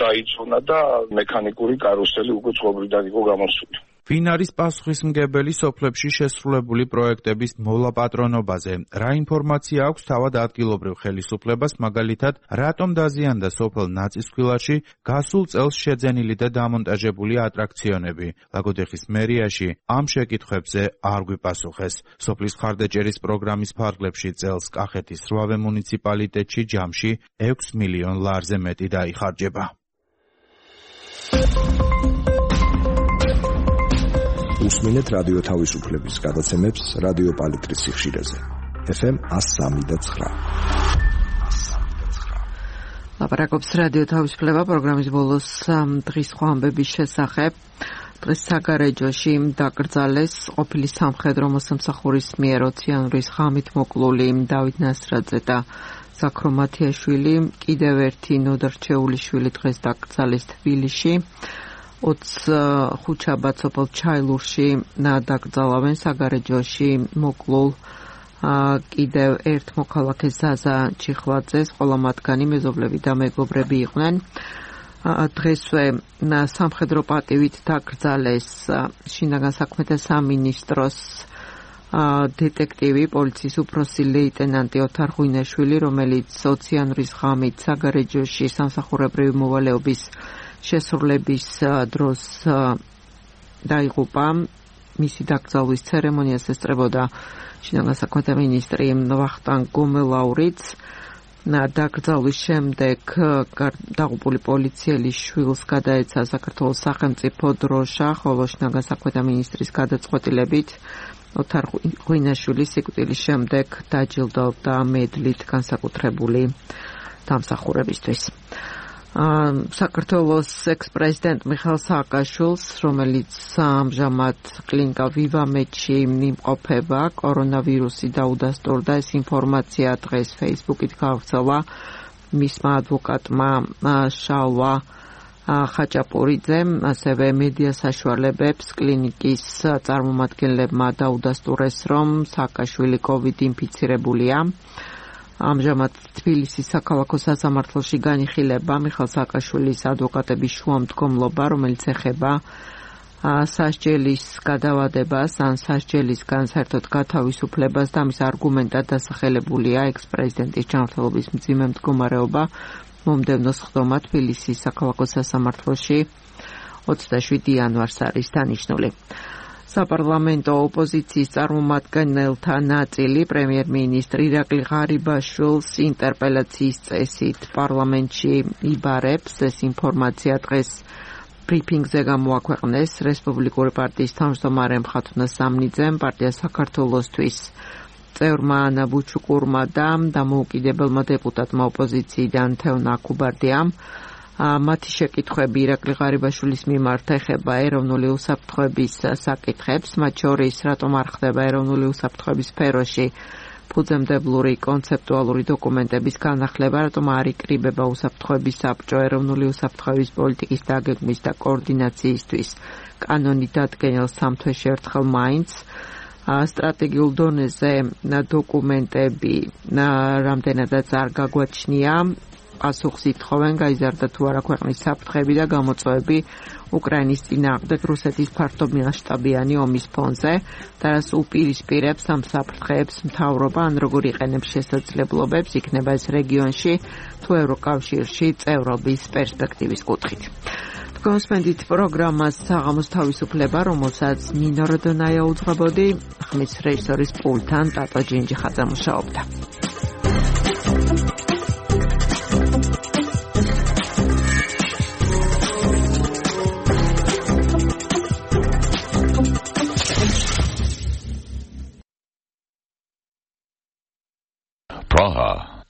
დაიწონა და მექანიკური კარუსელი უკვე წყობრიდან იყო გამოსული. ვინ არის პასუხისმგებელი სოფლებში შესრულებული პროექტების მოლაპატრონობაზე? რა ინფორმაცია აქვს თავად ადგილობრივ ხელისუფლებას, მაგალითად, რატომ დაზიანდა სოფელ ნაწისქვილარში გასულ წელს შეძენილი და დამონტაჟებული ატრაქციონები? ლაგოდეხის მერიაში ამ შეკითხვებზე არ გვიპასუხეს. სოფლის მხარდაჭერის პროგრამის ფარგლებში წელს კახეთის 8 მუნიციპალიტეტში ჯამში 6 მილიონ ლარზე მეტი დაიხარჯება. უსმინეთ რადიო თავისუფლების გადაცემებს რადიო პალიტრის სიხშირეზე. FM 103.9. ლაპარაკობს რადიო თავისუფლება პროგრამის ბოლოს დღის სხვა ამბების შესახებ. დღეს საგარეჯოში დაკრძალეს ყოფილი სამხედრო მოსამსახურის მიერ 20 იანვრის ღამით მოკლული დავით ნასრაძე და ზაქრო მათიაშვილი. კიდევ ერთი ნოდარჩეული შვილი დღეს დაკრძალეს თბილისში. 25 შაბათ სოფელ ჩაილურში დაკრძალავენ საგარეჯოში მოკლულ კიდევ ერთ მოქალაქეს ზაზა ჩიხვაძეს. ყველა მათგანი მეზობლები და მეგობრები იყვნენ. დღესვე სამხედრო პატივით დაკრძალეს შინაგან საქმეთა სამინისტროს დეტექტივი, პოლიციის უფროსი ლეიტენანტი ოთარ ღვინაშვილი, რომელიც 20 იანვრის ღამით საგარეჯოში სამსახურებრივი მოვალეობის შესრულების დროს დაიღუპა. მისი დაკრძალვის ცერემონიას ესწრებოდა შინაგან საქმეთა მინისტრი ვახტანგ გომელაურიც. დაკრძალვის შემდეგ დაღუპული პოლიციელის შვილს გადაეცა საქართველოს სახელმწიფო დროშა, ხოლო შინაგან საქმეთა მინისტრის გადაწყვეტილებით ოთარ ღვინაშვილის სიკვდილის შემდეგ დაჯილდოვდა მედლით განსაკუთრებული დამსახურებისთვის. საქართველოს ექს-პრეზიდენტ მიხაილ სააკაშვილს, რომელიც ამჟამად კლინიკა ვივამედში იმყოფება, კორონავირუსი დაუდასტურდა. ეს ინფორმაცია დღეს Facebook-ით გავრცელა მისმა ადვოკატმა შალვა ხაჭაპურიძემ, ასევე მედია საშუალებებს კლინიკის წარმომადგენლებმა დაუდასტურეს, რომ სააკაშვილი COVID ინფიცირებულია. ამჟამად თბილისის საქალაქო სასამართლოში განიხილება მიხაილ სააკაშვილის ადვოკატების შუამდგომლობა, რომელიც ეხება სასჯელის გადავადებას ან სასჯელისგან საერთოდ გათავისუფლებას და მის არგუმენტად დასახელებულია ექს-პრეზიდენტის ჯანმრთელობის მძიმე მდგომარეობა. მომდევნო სხდომა თბილისის საქალაქო სასამართლოში 27 იანვარს არის დანიშნული. საპარლამენტო ოპოზიციის წარმომადგენელთა ნაწილი პრემიერ-მინისტრ ირაკლი ღარიბაშვილს ინტერპელაციის წესით პარლამენტში იბარებს. ეს ინფორმაცია დღეს ბრიფინგზე გამოაქვეყნეს რესპუბლიკური პარტიის თავმჯდომარე მხატვრ სამნიძემ, პარტია საქართველოსთვის წევრმა ანა ბუჩუკურმა და დამოუკიდებელმა დეპუტატმა ოპოზიციიდან თევნა კუბარდიამ. მათი შეკითხვები ირაკლი ღარიბაშვილის მიმართ ეხება ეროვნული უსაფრთხოების საკითხებს, მათ შორის რატომ არ ხდება ეროვნული უსაფრთხოების სფეროში ფუძემდებლური კონცეპტუალური დოკუმენტების განახლება, რატომ არ იკრიბება უსაფრთხოების საბჭო ეროვნული უსაფრთხოების პოლიტიკის დაგეგმვის და კოორდინაციისთვის კანონი დადგენილ 3 თვეში ერთხელ მაინც სტრატეგიულ დონეზე დოკუმენტები რამდენადაც არ გაგვაჩნია პასუხს ითხოვენ გაიზარდა თუ არა ქვეყნის საფრთხეები და გამოწვევები უკრაინის წინააღმდეგ რუსეთის ფართომასშტაბიანი ომის ფონზე და რას უპირისპირებს ამ საფრთხეებს მთავრობა ან როგორ იყენებს შესაძლებლობებს იქნება ეს რეგიონში თუ ევროკავშირში წევრობის პერსპექტივის კუთხით. Კონსპენდით პროგრამას საღამოს თავისუფლება, რომელსაც ნინო როდონაია უძღვებოდი, ხმის რეჟისორის პულტთან ტატო ჯინჯიხაძე მუშაობდა. Praha.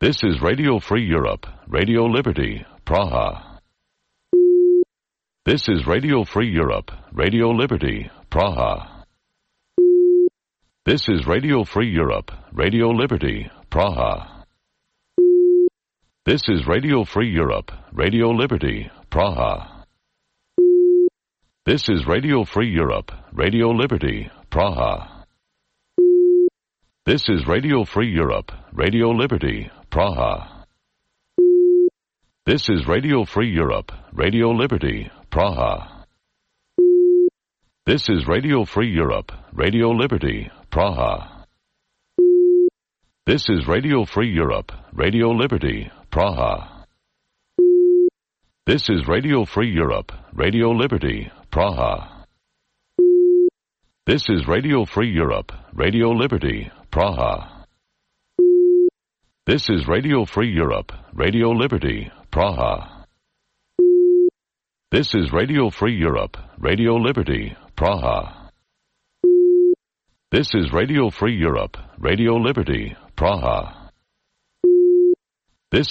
This is Radio Free Europe, Radio Liberty, Praha. This is Radio Free Europe, Radio Liberty, Praha. This is Radio Free Europe, Radio Liberty, Praha. This is Radio Free Europe, Radio Liberty, Praha. This is Radio Free Europe, Radio Liberty, Praha. This is Radio Free Europe, Radio Liberty, Praha. This is Radio Free Europe, Radio Liberty, Praha. This is Radio Free Europe, Radio Liberty, Praha. This is Radio Free Europe, Radio Liberty, Praha. This is Radio Free Europe, Radio Liberty, Praha. This is Radio Free Europe, Radio Liberty, Praha. This is Radio Free Europe, Radio Liberty, Praha. This is Radio Free Europe, Radio Liberty, Praha. This is Radio Free Europe, Radio Liberty, Praha. This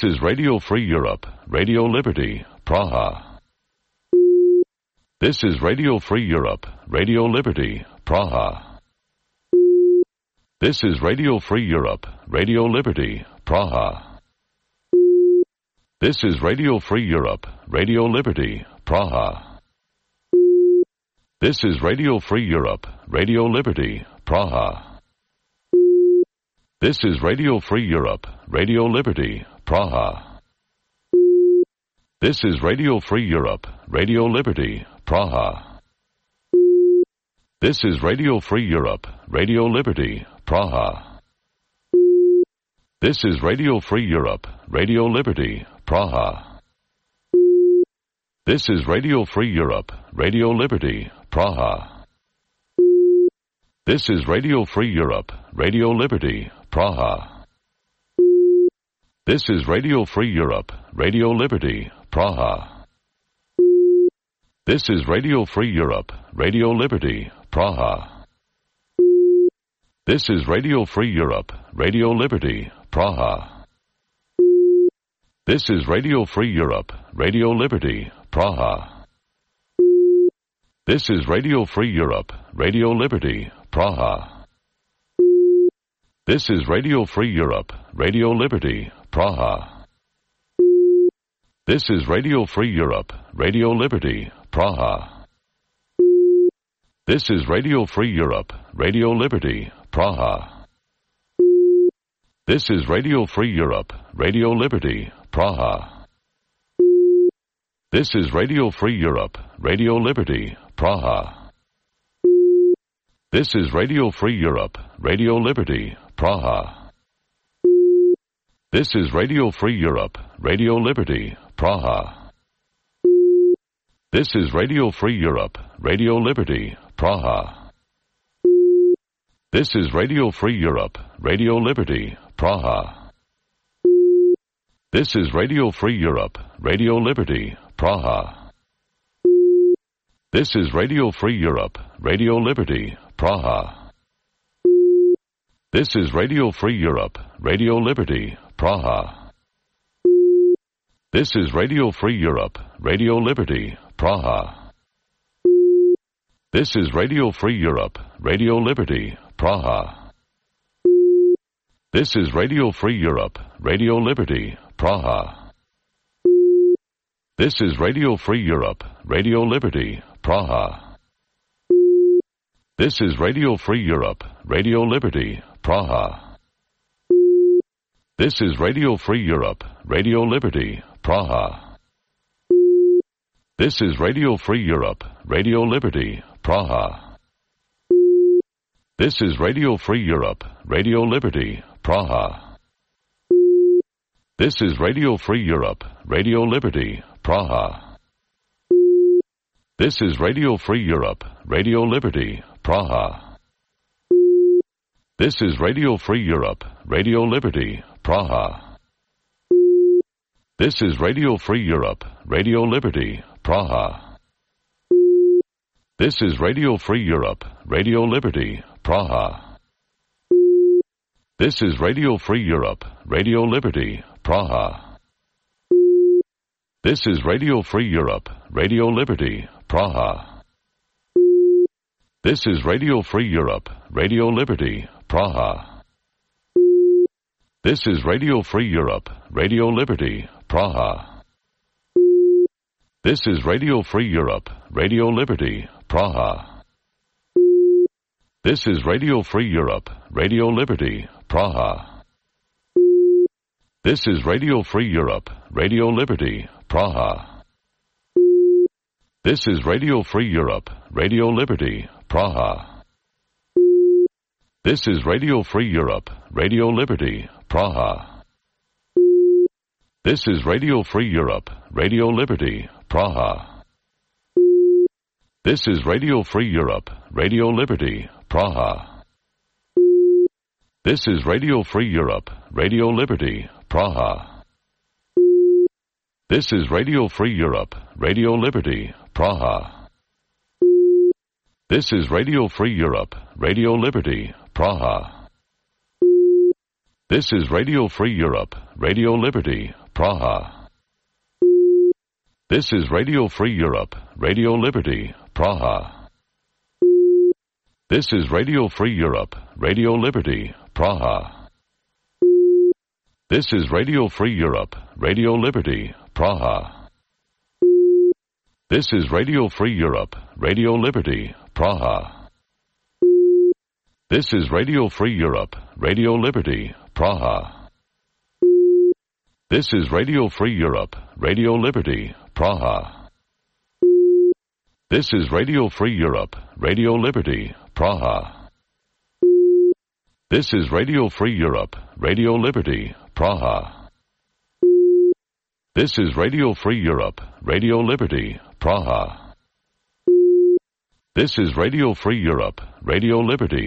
is Radio Free Europe, Radio Liberty, Praha. This is Radio Free Europe, Radio Liberty, Praha. This is Radio Free Europe, Radio Liberty, Praha. This is Radio Free Europe, Radio Liberty, Praha. This is Radio Free Europe, Radio Liberty, Praha. This is Radio Free Europe, Radio Liberty, Praha. This is Radio Free Europe, Radio Liberty, Praha. This is Radio Free Europe, Radio Liberty, Praha. This is Radio Free Europe, Radio Liberty, Praha. This is Radio Free Europe, Radio Liberty, Praha. This is Radio Free Europe, Radio Liberty, Praha. This is Radio Free Europe, Radio Liberty, Praha. This is Radio Free Europe, Radio Liberty, Praha. This is Radio Free Europe, Radio Liberty, Praha. This is Radio Free Europe, Radio Liberty, Praha. This is Radio Free Europe, Radio Liberty, Praha. This is Radio Free Europe, Radio Liberty, Praha. This is Radio Free Europe, Radio Liberty, Praha. This is Radio Free Europe, Radio Liberty, Praha. This is Radio Free Europe, Radio Liberty, Praha. This is Radio Free Europe, Radio Liberty, Praha. This is Radio Free Europe, Radio Liberty, Praha. This is Radio Free Europe, Radio Liberty, Praha. This is Radio Free Europe, Radio Liberty, Praha. This is Radio Free Europe, Radio Liberty, Praha. This is Radio Free Europe, Radio Liberty, Praha. This is Radio Free Europe, Radio Liberty, Praha. This is Radio Free Europe, Radio Liberty, Praha. This is Radio Free Europe, Radio Liberty, Praha. This is Radio Free Europe, Radio Liberty, Praha. This is Radio Free Europe, Radio Liberty, Praha. This is Radio Free Europe, Radio Liberty, Praha. This is Radio Free Europe, Radio Liberty, Praha. This is Radio Free Europe, Radio Liberty, Praha. This is Radio Free Europe, Radio Liberty, Praha. This is Radio Free Europe, Radio Liberty, Praha. This is Radio Free Europe, Radio Liberty, Praha. This is Radio Free Europe, Radio Liberty, Praha. This is Radio Free Europe, Radio Liberty, Praha. This is Radio Free Europe, Radio Liberty, Praha. This is Radio Free Europe, Radio Liberty, Praha. This is Radio Free Europe, Radio Liberty, Praha. This is Radio Free Europe, Radio Liberty, Praha. This is Radio Free Europe, Radio Liberty, Praha. This is Radio Free Europe, Radio Liberty, Praha. This is Radio Free Europe, Radio Liberty, Praha. This is Radio Free Europe, Radio Liberty, Praha. This is Radio Free Europe, Radio Liberty, Praha. This is Radio Free Europe, Radio Liberty, Praha. This is Radio Free Europe, Radio Liberty, Praha. This is Radio Free Europe, Radio Liberty, Praha. This is Radio Free Europe, Radio Liberty, Praha. This is Radio Free Europe, Radio Liberty, Praha. This is Radio Free Europe, Radio Liberty, Praha. This is Radio Free Europe, Radio Liberty, Praha. This is Radio Free Europe, Radio Liberty, Praha. This is Radio Free Europe, Radio Liberty, Praha. This is Radio Free Europe, Radio Liberty, Praha. This is Radio Free Europe, Radio Liberty, Praha. This is Radio Free Europe, Radio Liberty, Praha. This is Radio Free Europe, Radio Liberty, Praha. This is Radio Free Europe, Radio Liberty, Praha. This is Radio Free Europe, Radio Liberty, Praha. This is Radio Free Europe, Radio Liberty, Praha. This is Radio Free Europe, Radio Liberty, Praha. This is Radio Free Europe, Radio Liberty,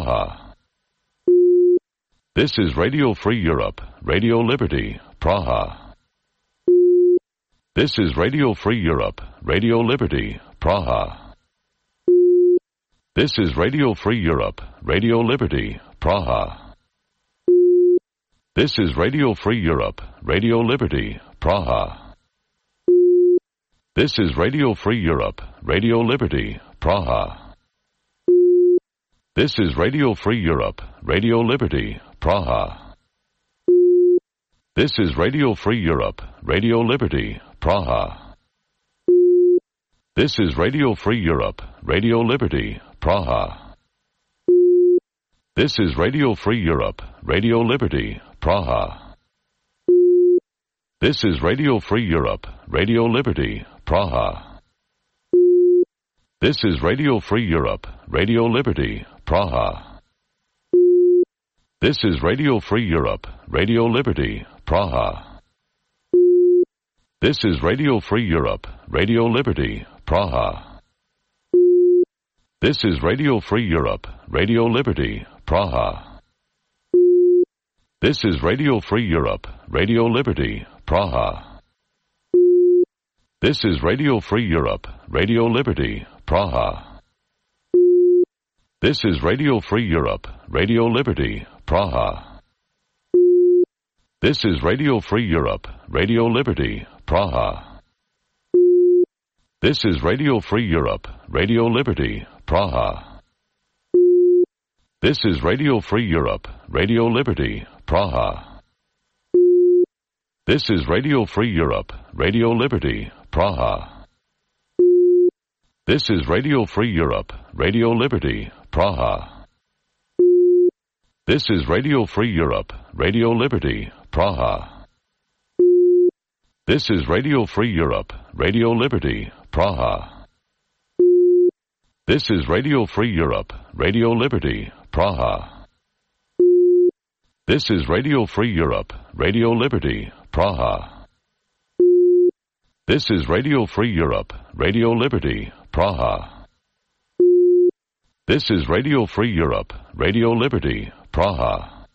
Praha. This is Radio Free Europe, Radio Liberty, Praha. This is Radio Free Europe, Radio Liberty, Praha. This is Radio Free Europe, Radio Liberty, Praha. This is Radio Free Europe, Radio Liberty, Praha. This is Radio Free Europe, Radio Liberty, Praha. This is Radio Free Europe, Radio Liberty, Praha. This is Radio Free Europe, Radio Liberty, Praha. This is Radio Free Europe, Radio Liberty, Praha. This is Radio Free Europe, Radio Liberty, Praha. This is Radio Free Europe, Radio Liberty, Praha. This is Radio Free Europe, Radio Liberty, Praha. This is Radio Free Europe, Radio Liberty, Praha. This is Radio Free Europe, Radio Liberty, Praha. This is Radio Free Europe, Radio Liberty, Praha. This is Radio Free Europe, Radio Liberty, Praha. This is Radio Free Europe, Radio Liberty, Praha. This is Radio Free Europe, Radio Liberty, Praha. This is Radio Free Europe, Radio Liberty, Praha. This is Radio Free Europe, Radio Liberty, Praha. This is Radio Free Europe, Radio Liberty, Praha. This is Radio Free Europe, Radio Liberty, Praha. This is Radio Free Europe, Radio Liberty, Praha. This is Radio Free Europe, Radio Liberty, Praha. This is Radio Free Europe, Radio Liberty, Praha. This is Radio Free Europe, Radio Liberty, Praha. This is Radio Free Europe, Radio Liberty, Praha. This is Radio Free Europe, Radio Liberty, Praha. This is Radio Free Europe, Radio Liberty, Praha.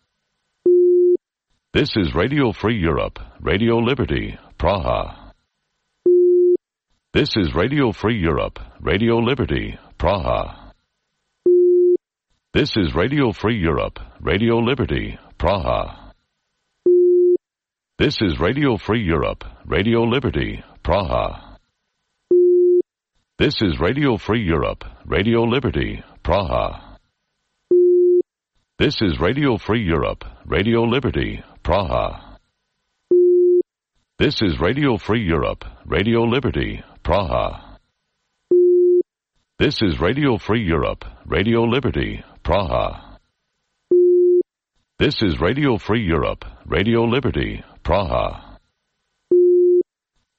This is Radio Free Europe, Radio Liberty, Praha. This is Radio Free Europe, Radio Liberty, Praha. This is Radio Free Europe, Radio Liberty, Praha. This is Radio Free Europe, Radio Liberty, Praha. This is Radio Free Europe, Radio Liberty, Praha. This is Radio Free Europe, Radio Liberty, Praha. This is Radio Free Europe, Radio Liberty, Praha. This is Radio Free Europe, Radio Liberty, Praha. This is Radio Free Europe, Radio Liberty, Praha.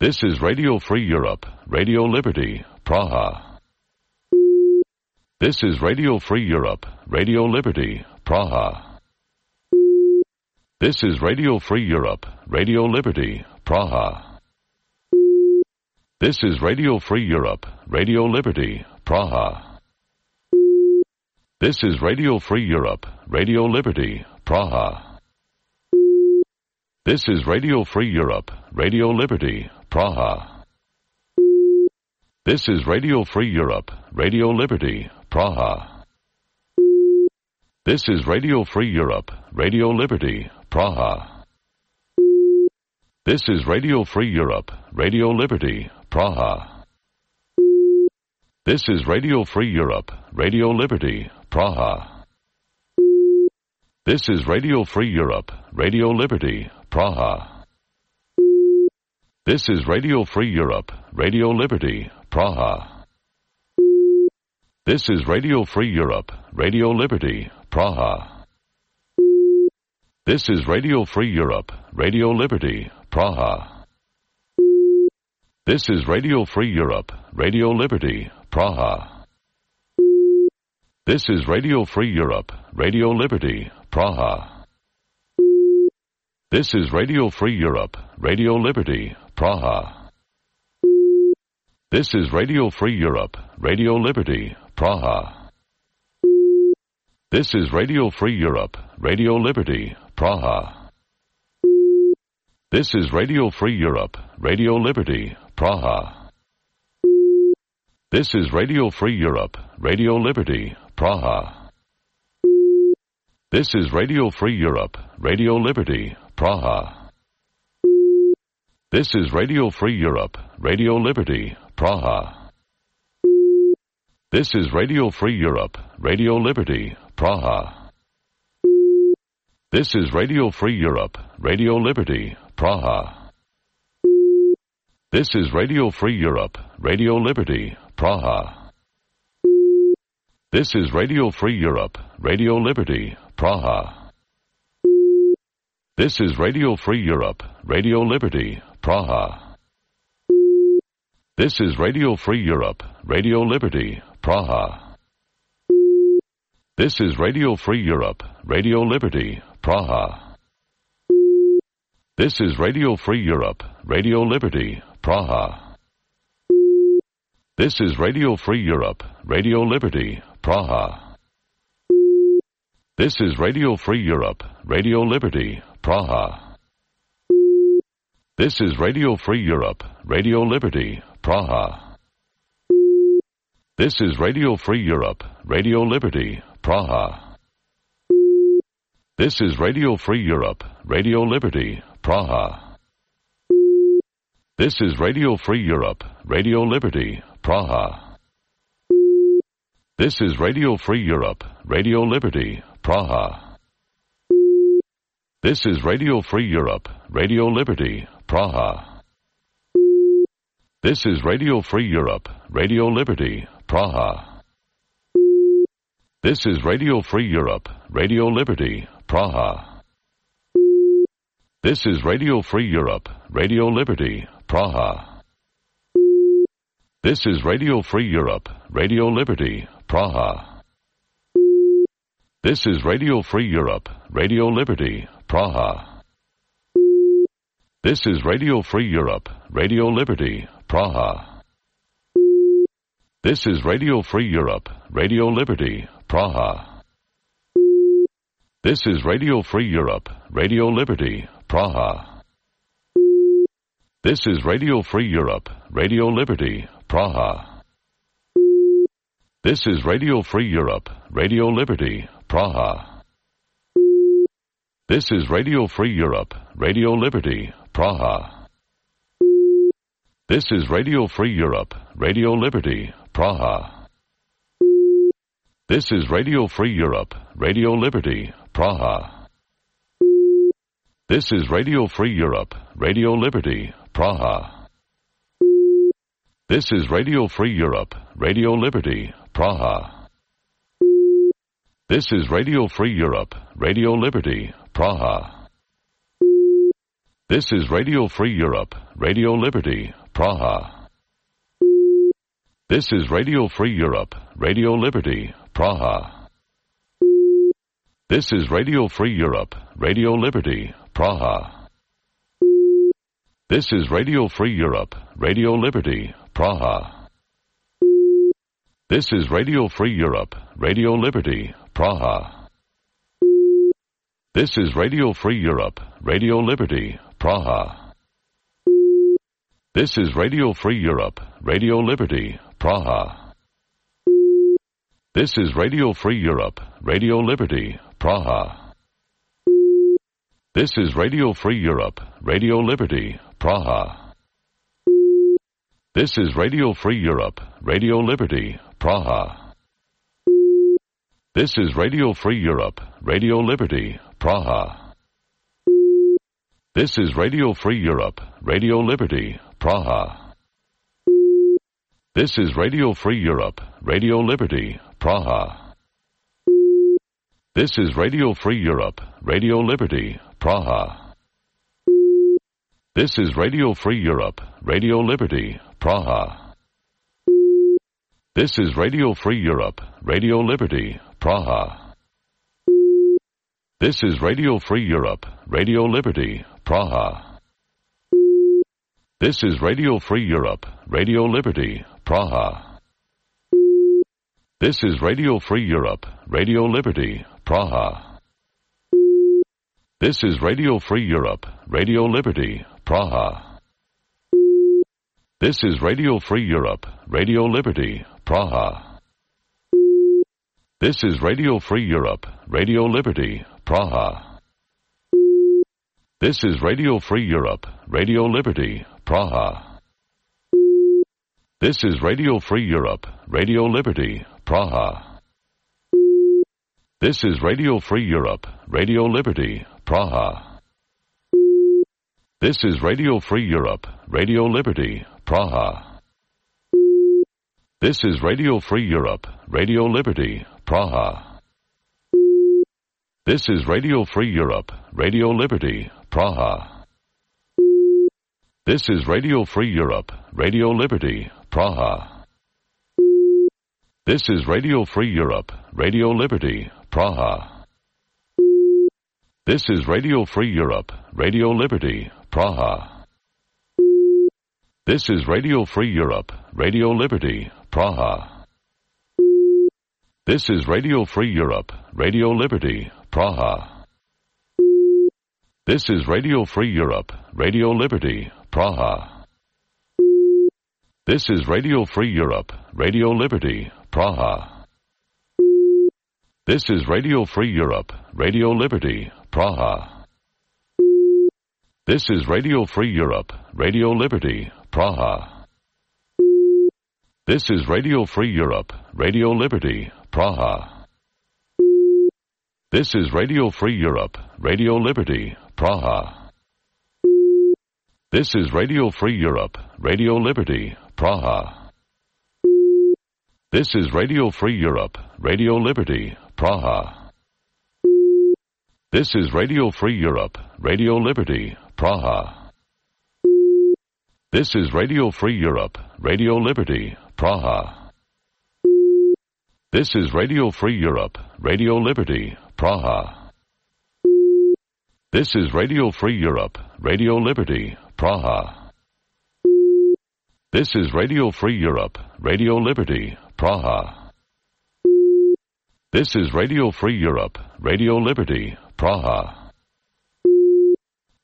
This is Radio Free Europe, Radio Liberty, Praha. This is Radio Free Europe, Radio Liberty, Praha. This is Radio Free Europe, Radio Liberty, Praha. This is Radio Free Europe, Radio Liberty, Praha. This is Radio Free Europe, Radio Liberty, Praha. This is Radio Free Europe, Radio Liberty, Praha. This is Radio Free Europe, Radio Liberty, Praha. This is Radio Free Europe, Radio Liberty, Praha. This is Radio Free Europe, Radio Liberty, Praha. This is Radio Free Europe, Radio Liberty, Praha. This is Radio Free Europe, Radio Liberty, Praha. This is Radio Free Europe, Radio Liberty, Praha. This is Radio Free Europe, Radio Liberty, Praha. This is Radio Free Europe, Radio Liberty, Praha. This is Radio Free Europe, Radio Liberty, Praha. This is Radio Free Europe, Radio Liberty, Praha. This is Radio Free Europe, Radio Liberty, Praha. This is Radio Free Europe, Radio Liberty, Praha. This is Radio Free Europe, Radio Liberty, Praha. This is Radio Free Europe, Radio Liberty, Praha. This is Radio Free Europe, Radio Liberty, Praha. This is Radio Free Europe, Radio Liberty, Praha. This is Radio Free Europe, Radio Liberty, Praha. This is Radio Free Europe, Radio Liberty, Praha. This is Radio Free Europe, Radio Liberty, Praha. This is Radio Free Europe, Radio Liberty, Praha. This is Radio Free Europe, Radio Liberty, Praha. This is Radio Free Europe, Radio Liberty, Praha. This is Radio Free Europe, Radio Liberty, Praha. This is Radio Free Europe, Radio Liberty, Praha. This is Radio Free Europe, Radio Liberty, Praha. This is Radio Free Europe, Radio Liberty, Praha. This is Radio Free Europe, Radio Liberty, Praha. This is Radio Free Europe, Radio Liberty, Praha. This is Radio Free Europe, Radio Liberty, Praha. This is Radio Free Europe, Radio Liberty, Praha. This is Radio Free Europe, Radio Liberty, Praha. This is Radio Free Europe, Radio Liberty, Praha. This is Radio Free Europe, Radio Liberty, Praha. This is Radio Free Europe, Radio Liberty, Praha. This is Radio Free Europe, Radio Liberty, Praha. This is Radio Free Europe, Radio Liberty, Praha. This is Radio Free Europe, Radio Liberty, Praha. This is Radio Free Europe, Radio Liberty, Praha. This is Radio Free Europe, Radio Liberty, Praha. This is Radio Free Europe, Radio Liberty, Praha. This is Radio Free Europe, Radio Liberty, Praha. This is Radio Free Europe, Radio Liberty, Praha. This is Radio Free Europe, Radio Liberty, Praha. This is Radio Free Europe, Radio Liberty, Praha. This is Radio Free Europe, Radio Liberty, Praha. This is Radio Free Europe, Radio Liberty, Praha. This is Radio Free Europe, Radio Liberty, Praha. This is Radio Free Europe, Radio Liberty, Praha. This is Radio Free Europe, Radio Liberty, Praha. This is Radio Free Europe, Radio Liberty, Praha. This is Radio Free Europe, Radio Liberty, Praha. This is Radio Free Europe, Radio Liberty, Praha. This is Radio Free Europe, Radio Liberty, Praha. This is Radio Free Europe, Radio Liberty, Praha. This is Radio Free Europe, Radio Liberty, Praha. This is Radio Free Europe, Radio Liberty, Praha. This is Radio Free Europe, Radio Liberty, Praha. This is Radio Free Europe, Radio Liberty, Praha. This is Radio Free Europe, Radio Liberty, Praha. This is Radio Free Europe, Radio Liberty, Praha. This is Radio Free Europe, Radio Liberty, Praha. This is Radio Free Europe, Radio Liberty, Praha. This is Radio Free Europe, Radio Liberty, Praha. This is Radio Free Europe, Radio Liberty, Praha. This is Radio Free Europe, Radio Liberty, Praha. This is Radio Free Europe, Radio Liberty, Praha. This is Radio Free Europe, Radio Liberty, Praha. This is Radio Free Europe, Radio Liberty, Praha. This is Radio Free Europe, Radio Liberty, Praha. This is Radio Free Europe, Radio Liberty, Praha. This is Radio Free Europe, Radio Liberty, Praha. This is Radio Free Europe, Radio Liberty, Praha. This is Radio Free Europe, Radio Liberty, Praha. This is Radio Free Europe, Radio Liberty, Praha. This is Radio Free Europe, Radio Liberty, Praha. This is Radio Free Europe, Radio Liberty, Praha. This is Radio Free Europe, Radio Liberty, Praha. This is Radio Free Europe, Radio Liberty, Praha. This is Radio Free Europe, Radio Liberty, Praha. This is Radio Free Europe, Radio Liberty, Praha. This is Radio Free Europe, Radio Liberty, Praha. This is Radio Free Europe, Radio Liberty, Praha. This is Radio Free Europe, Radio Liberty, Praha. This is Radio Free Europe, Radio Liberty, Praha. This is Radio Free Europe, Radio Liberty, Praha. This is Radio Free Europe, Radio Liberty, Praha. This is Radio Free Europe, Radio Liberty, Praha. This is Radio Free Europe, Radio Liberty, Praha. This is Radio Free Europe, Radio Liberty, Praha. This is Radio Free Europe, Radio Liberty, Praha. This is Radio Free Europe, Radio Liberty, Praha. This is Radio Free Europe, Radio Liberty, Praha. This is Radio Free Europe, Radio Liberty, Praha. This is Radio Free Europe, Radio Liberty, Praha. This is Radio Free Europe, Radio Liberty, Praha. This is Radio Free Europe, Radio Liberty, Praha.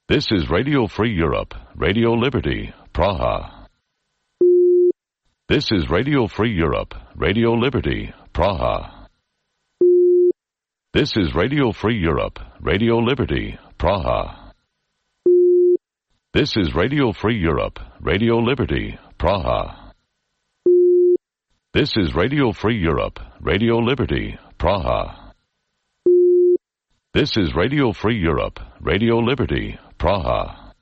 This is Radio Free Europe, Radio Liberty, Praha. This is Radio Free Europe, Radio Liberty, Praha. This is Radio Free Europe, Radio Liberty, Praha. This is Radio Free Europe, Radio Liberty, Praha. This is Radio Free Europe, Radio Liberty, Praha. This is Radio Free Europe, Radio Liberty, Praha.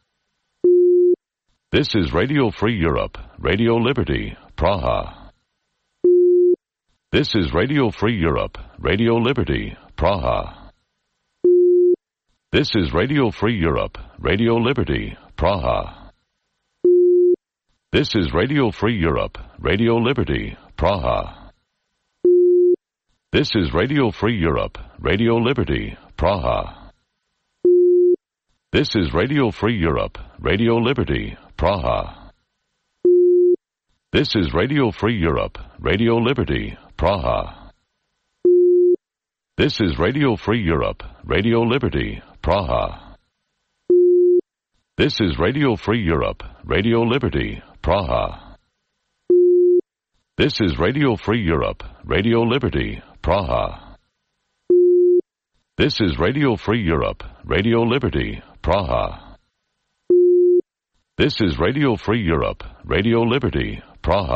This is Radio Free Europe, Radio Liberty, Praha. This is Radio Free Europe, Radio Liberty, Praha. This is Radio Free Europe, Radio Liberty, Praha. This is Radio Free Europe, Radio Liberty, Praha. This is Radio Free Europe, Radio Liberty, Praha. This is Radio Free Europe, Radio Liberty, Praha. This is Radio Free Europe, Radio Liberty, Praha. This is Radio Free Europe, Radio Liberty, Praha. This is Radio Free Europe, Radio Liberty, Praha. This is Radio Free Europe, Radio Liberty, Praha. This is Radio Free Europe, Radio Liberty, Praha. This is Radio Free Europe, Radio Liberty, Praha.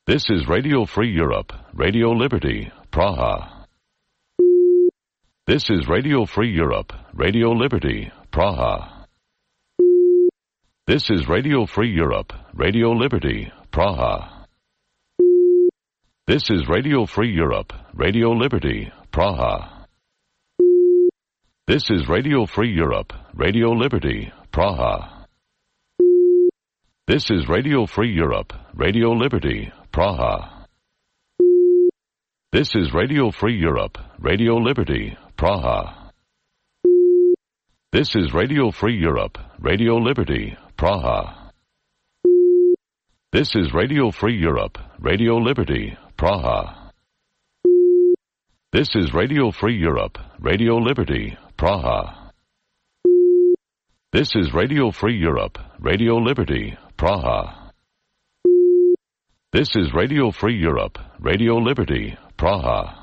This is Radio Free Europe, Radio Liberty, Praha. This is Radio Free Europe, Radio Liberty, Praha. This is Radio Free Europe, Radio Liberty, Praha. This is Radio Free Europe, Radio Liberty, Praha. This is Radio Free Europe, Radio Liberty, Praha. This is Radio Free Europe, Radio Liberty, Praha. This is Radio Free Europe, Radio Liberty, Praha. This is Radio Free Europe, Radio Liberty, Praha. This is Radio Free Europe, Radio Liberty, Praha. This is Radio Free Europe, Radio Liberty, Praha. This is Radio Free Europe, Radio Liberty, Praha. This is Radio Free Europe, Radio Liberty, Praha.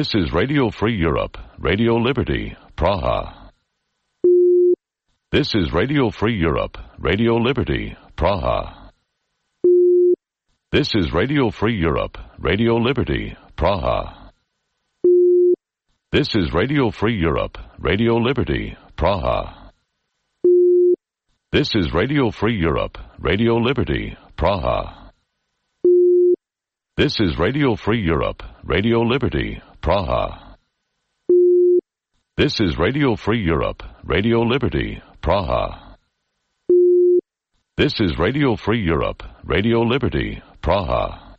This is Radio Free Europe, Radio Liberty, Praha. This is Radio Free Europe, Radio Liberty, Praha. This is Radio Free Europe, Radio Liberty, Praha. This is Radio Free Europe, Radio Liberty, Praha. This is Radio Free Europe, Radio Liberty, Praha. This is Radio Free Europe, Radio Liberty, Praha. This is Radio Free Europe, Radio Liberty, Praha. This is Radio Free Europe, Radio Liberty, Praha.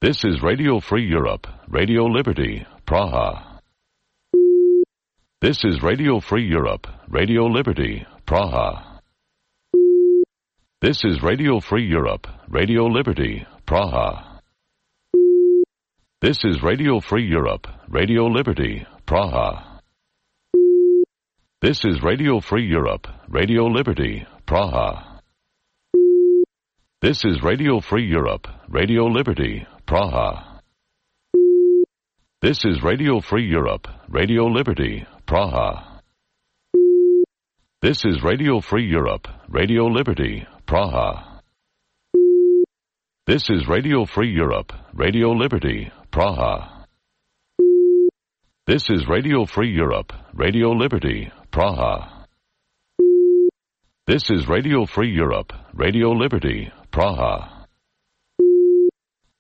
This is Radio Free Europe, Radio Liberty, Praha. This is Radio Free Europe, Radio Liberty, Praha. This is Radio Free Europe, Radio Liberty, Praha. This is Radio Free Europe, Radio Liberty, Praha. This is Radio Free Europe, Radio Liberty, Praha. This is Radio Free Europe, Radio Liberty, Praha. This is Radio Free Europe, Radio Liberty, Praha. This is Radio Free Europe, Radio Liberty, Praha. This is Radio Free Europe, Radio Liberty, Praha. This is Radio Free Europe, Radio Liberty, Praha. This is Radio Free Europe, Radio Liberty, Praha.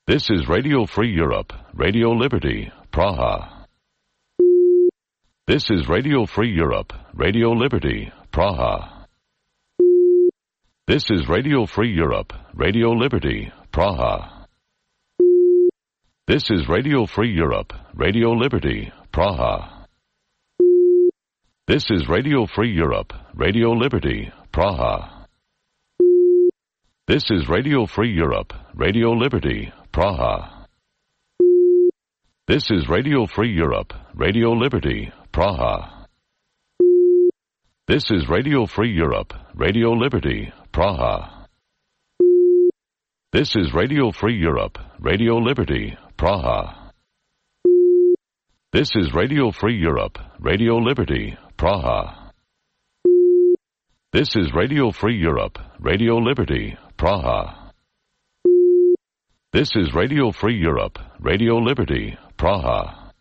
This is Radio Free Europe, Radio Liberty, Praha. This is Radio Free Europe, Radio Liberty, Praha. This is Radio Free Europe, Radio Liberty, Praha. This is Radio Free Europe, Radio Liberty, Praha. This is Radio Free Europe, Radio Liberty, Praha. This is Radio Free Europe, Radio Liberty, Praha. This is Radio Free Europe, Radio Liberty, Praha. This is Radio Free Europe, Radio Liberty, Praha. This is Radio Free Europe, Radio Liberty, Praha. This is Radio Free Europe, Radio Liberty, Praha. This is Radio Free Europe, Radio Liberty, Praha. This is Radio Free Europe, Radio Liberty, Praha.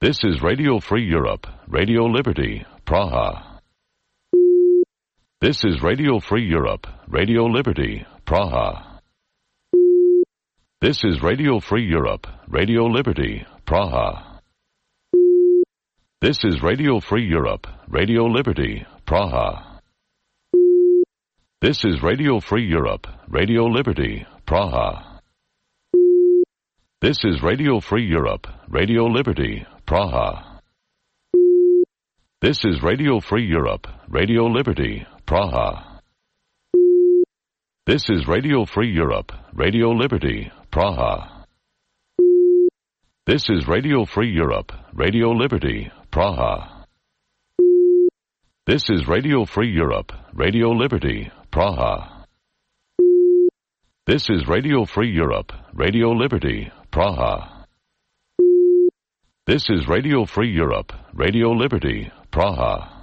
This is Radio Free Europe, Radio Liberty, Praha. This is Radio Free Europe, Radio Liberty, Praha. This is Radio Free Europe, Radio Liberty, Praha. This is Radio Free Europe, Radio Liberty, Praha. This is Radio Free Europe, Radio Liberty, Praha. This is Radio Free Europe, Radio Liberty, Praha. This is Radio Free Europe, Radio Liberty, Praha. This is Radio Free Europe, Radio Liberty, Praha. This is Radio Free Europe, Radio Liberty, Praha. This is Radio Free Europe, Radio Liberty, Praha. This is Radio Free Europe, Radio Liberty, Praha. This is Radio Free Europe, Radio Liberty, Praha.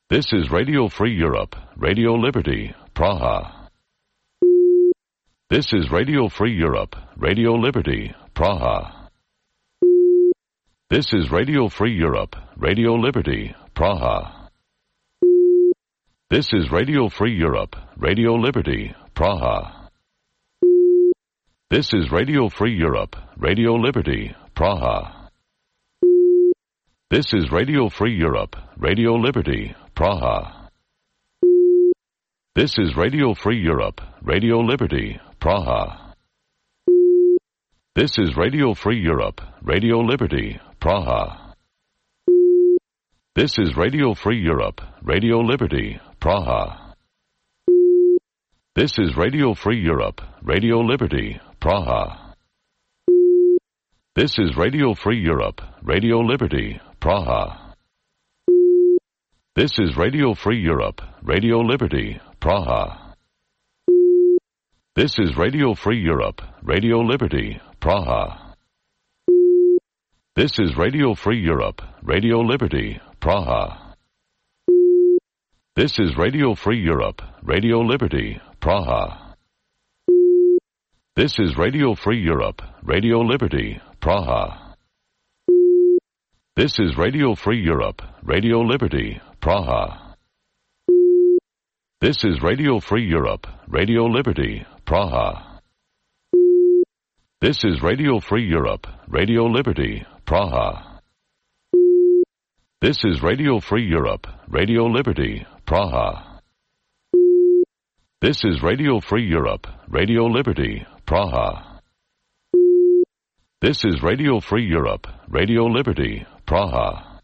This is Radio Free Europe, Radio Liberty, Praha. This is Radio Free Europe, Radio Liberty, Praha. This is Radio Free Europe, Radio Liberty, Praha. This is Radio Free Europe, Radio Liberty, Praha. This is Radio Free Europe, Radio Liberty, Praha. This is Radio Free Europe, Radio Liberty, Praha. This is Radio Free Europe, Radio Liberty, Praha. This is Radio Free Europe, Radio Liberty, Praha. This is Radio Free Europe, Radio Liberty, Praha. This is Radio Free Europe, Radio Liberty, Praha. This is Radio Free Europe, Radio Liberty, Praha. This is Radio Free Europe, Radio Liberty, Praha. This is Radio Free Europe, Radio Liberty, Praha. This is Radio Free Europe, Radio Liberty, Praha. This is Radio Free Europe, Radio Liberty, Praha. This is Radio Free Europe, Radio Liberty, Praha. This is Radio Free Europe, Radio Liberty, Praha. This is Radio Free Europe, Radio Liberty, Praha. This is Radio Free Europe, Radio Liberty, Praha. This is Radio Free Europe, Radio Liberty, Praha. This is Radio Free Europe, Radio Liberty, Praha. This is Radio Free Europe, Radio Liberty, Praha.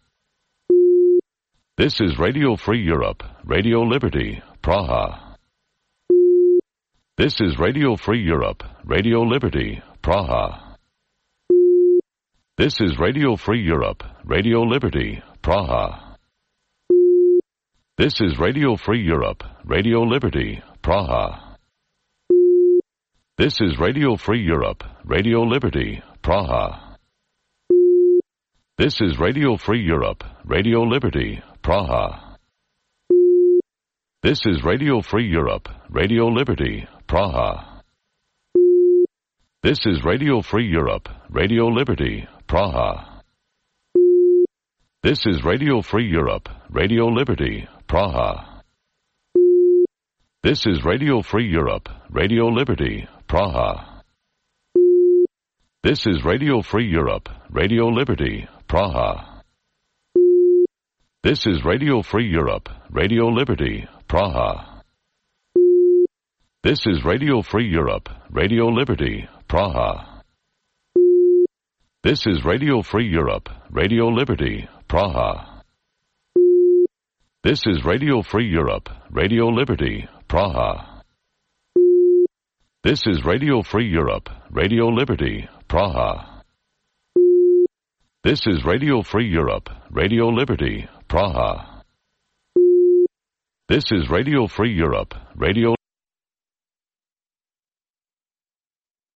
This is Radio Free Europe, Radio Liberty, Praha. This is Radio Free Europe, Radio Liberty, Praha. This is Radio Free Europe, Radio Liberty, Praha. This is Radio Free Europe, Radio Liberty, Praha. This is Radio Free Europe, Radio Liberty, Praha. This is Radio Free Europe, Radio Liberty, Praha. This is Radio Free Europe, Radio Liberty, Praha. This is Radio Free Europe, Radio Liberty, Praha. This is Radio Free Europe, Radio Liberty, Praha. This is Radio Free Europe, Radio Liberty, Praha. This is Radio Free Europe, Radio Liberty, Praha. This is Radio Free Europe, Radio Liberty, Praha. This is Radio Free Europe, Radio Liberty, Praha. This is Radio Free Europe, Radio Liberty, Praha. This is Radio Free Europe, Radio Liberty, Praha. This is Radio Free Europe, Radio Liberty, Praha. This is Radio Free Europe, Radio Liberty, Praha. This is Radio Free Europe, Radio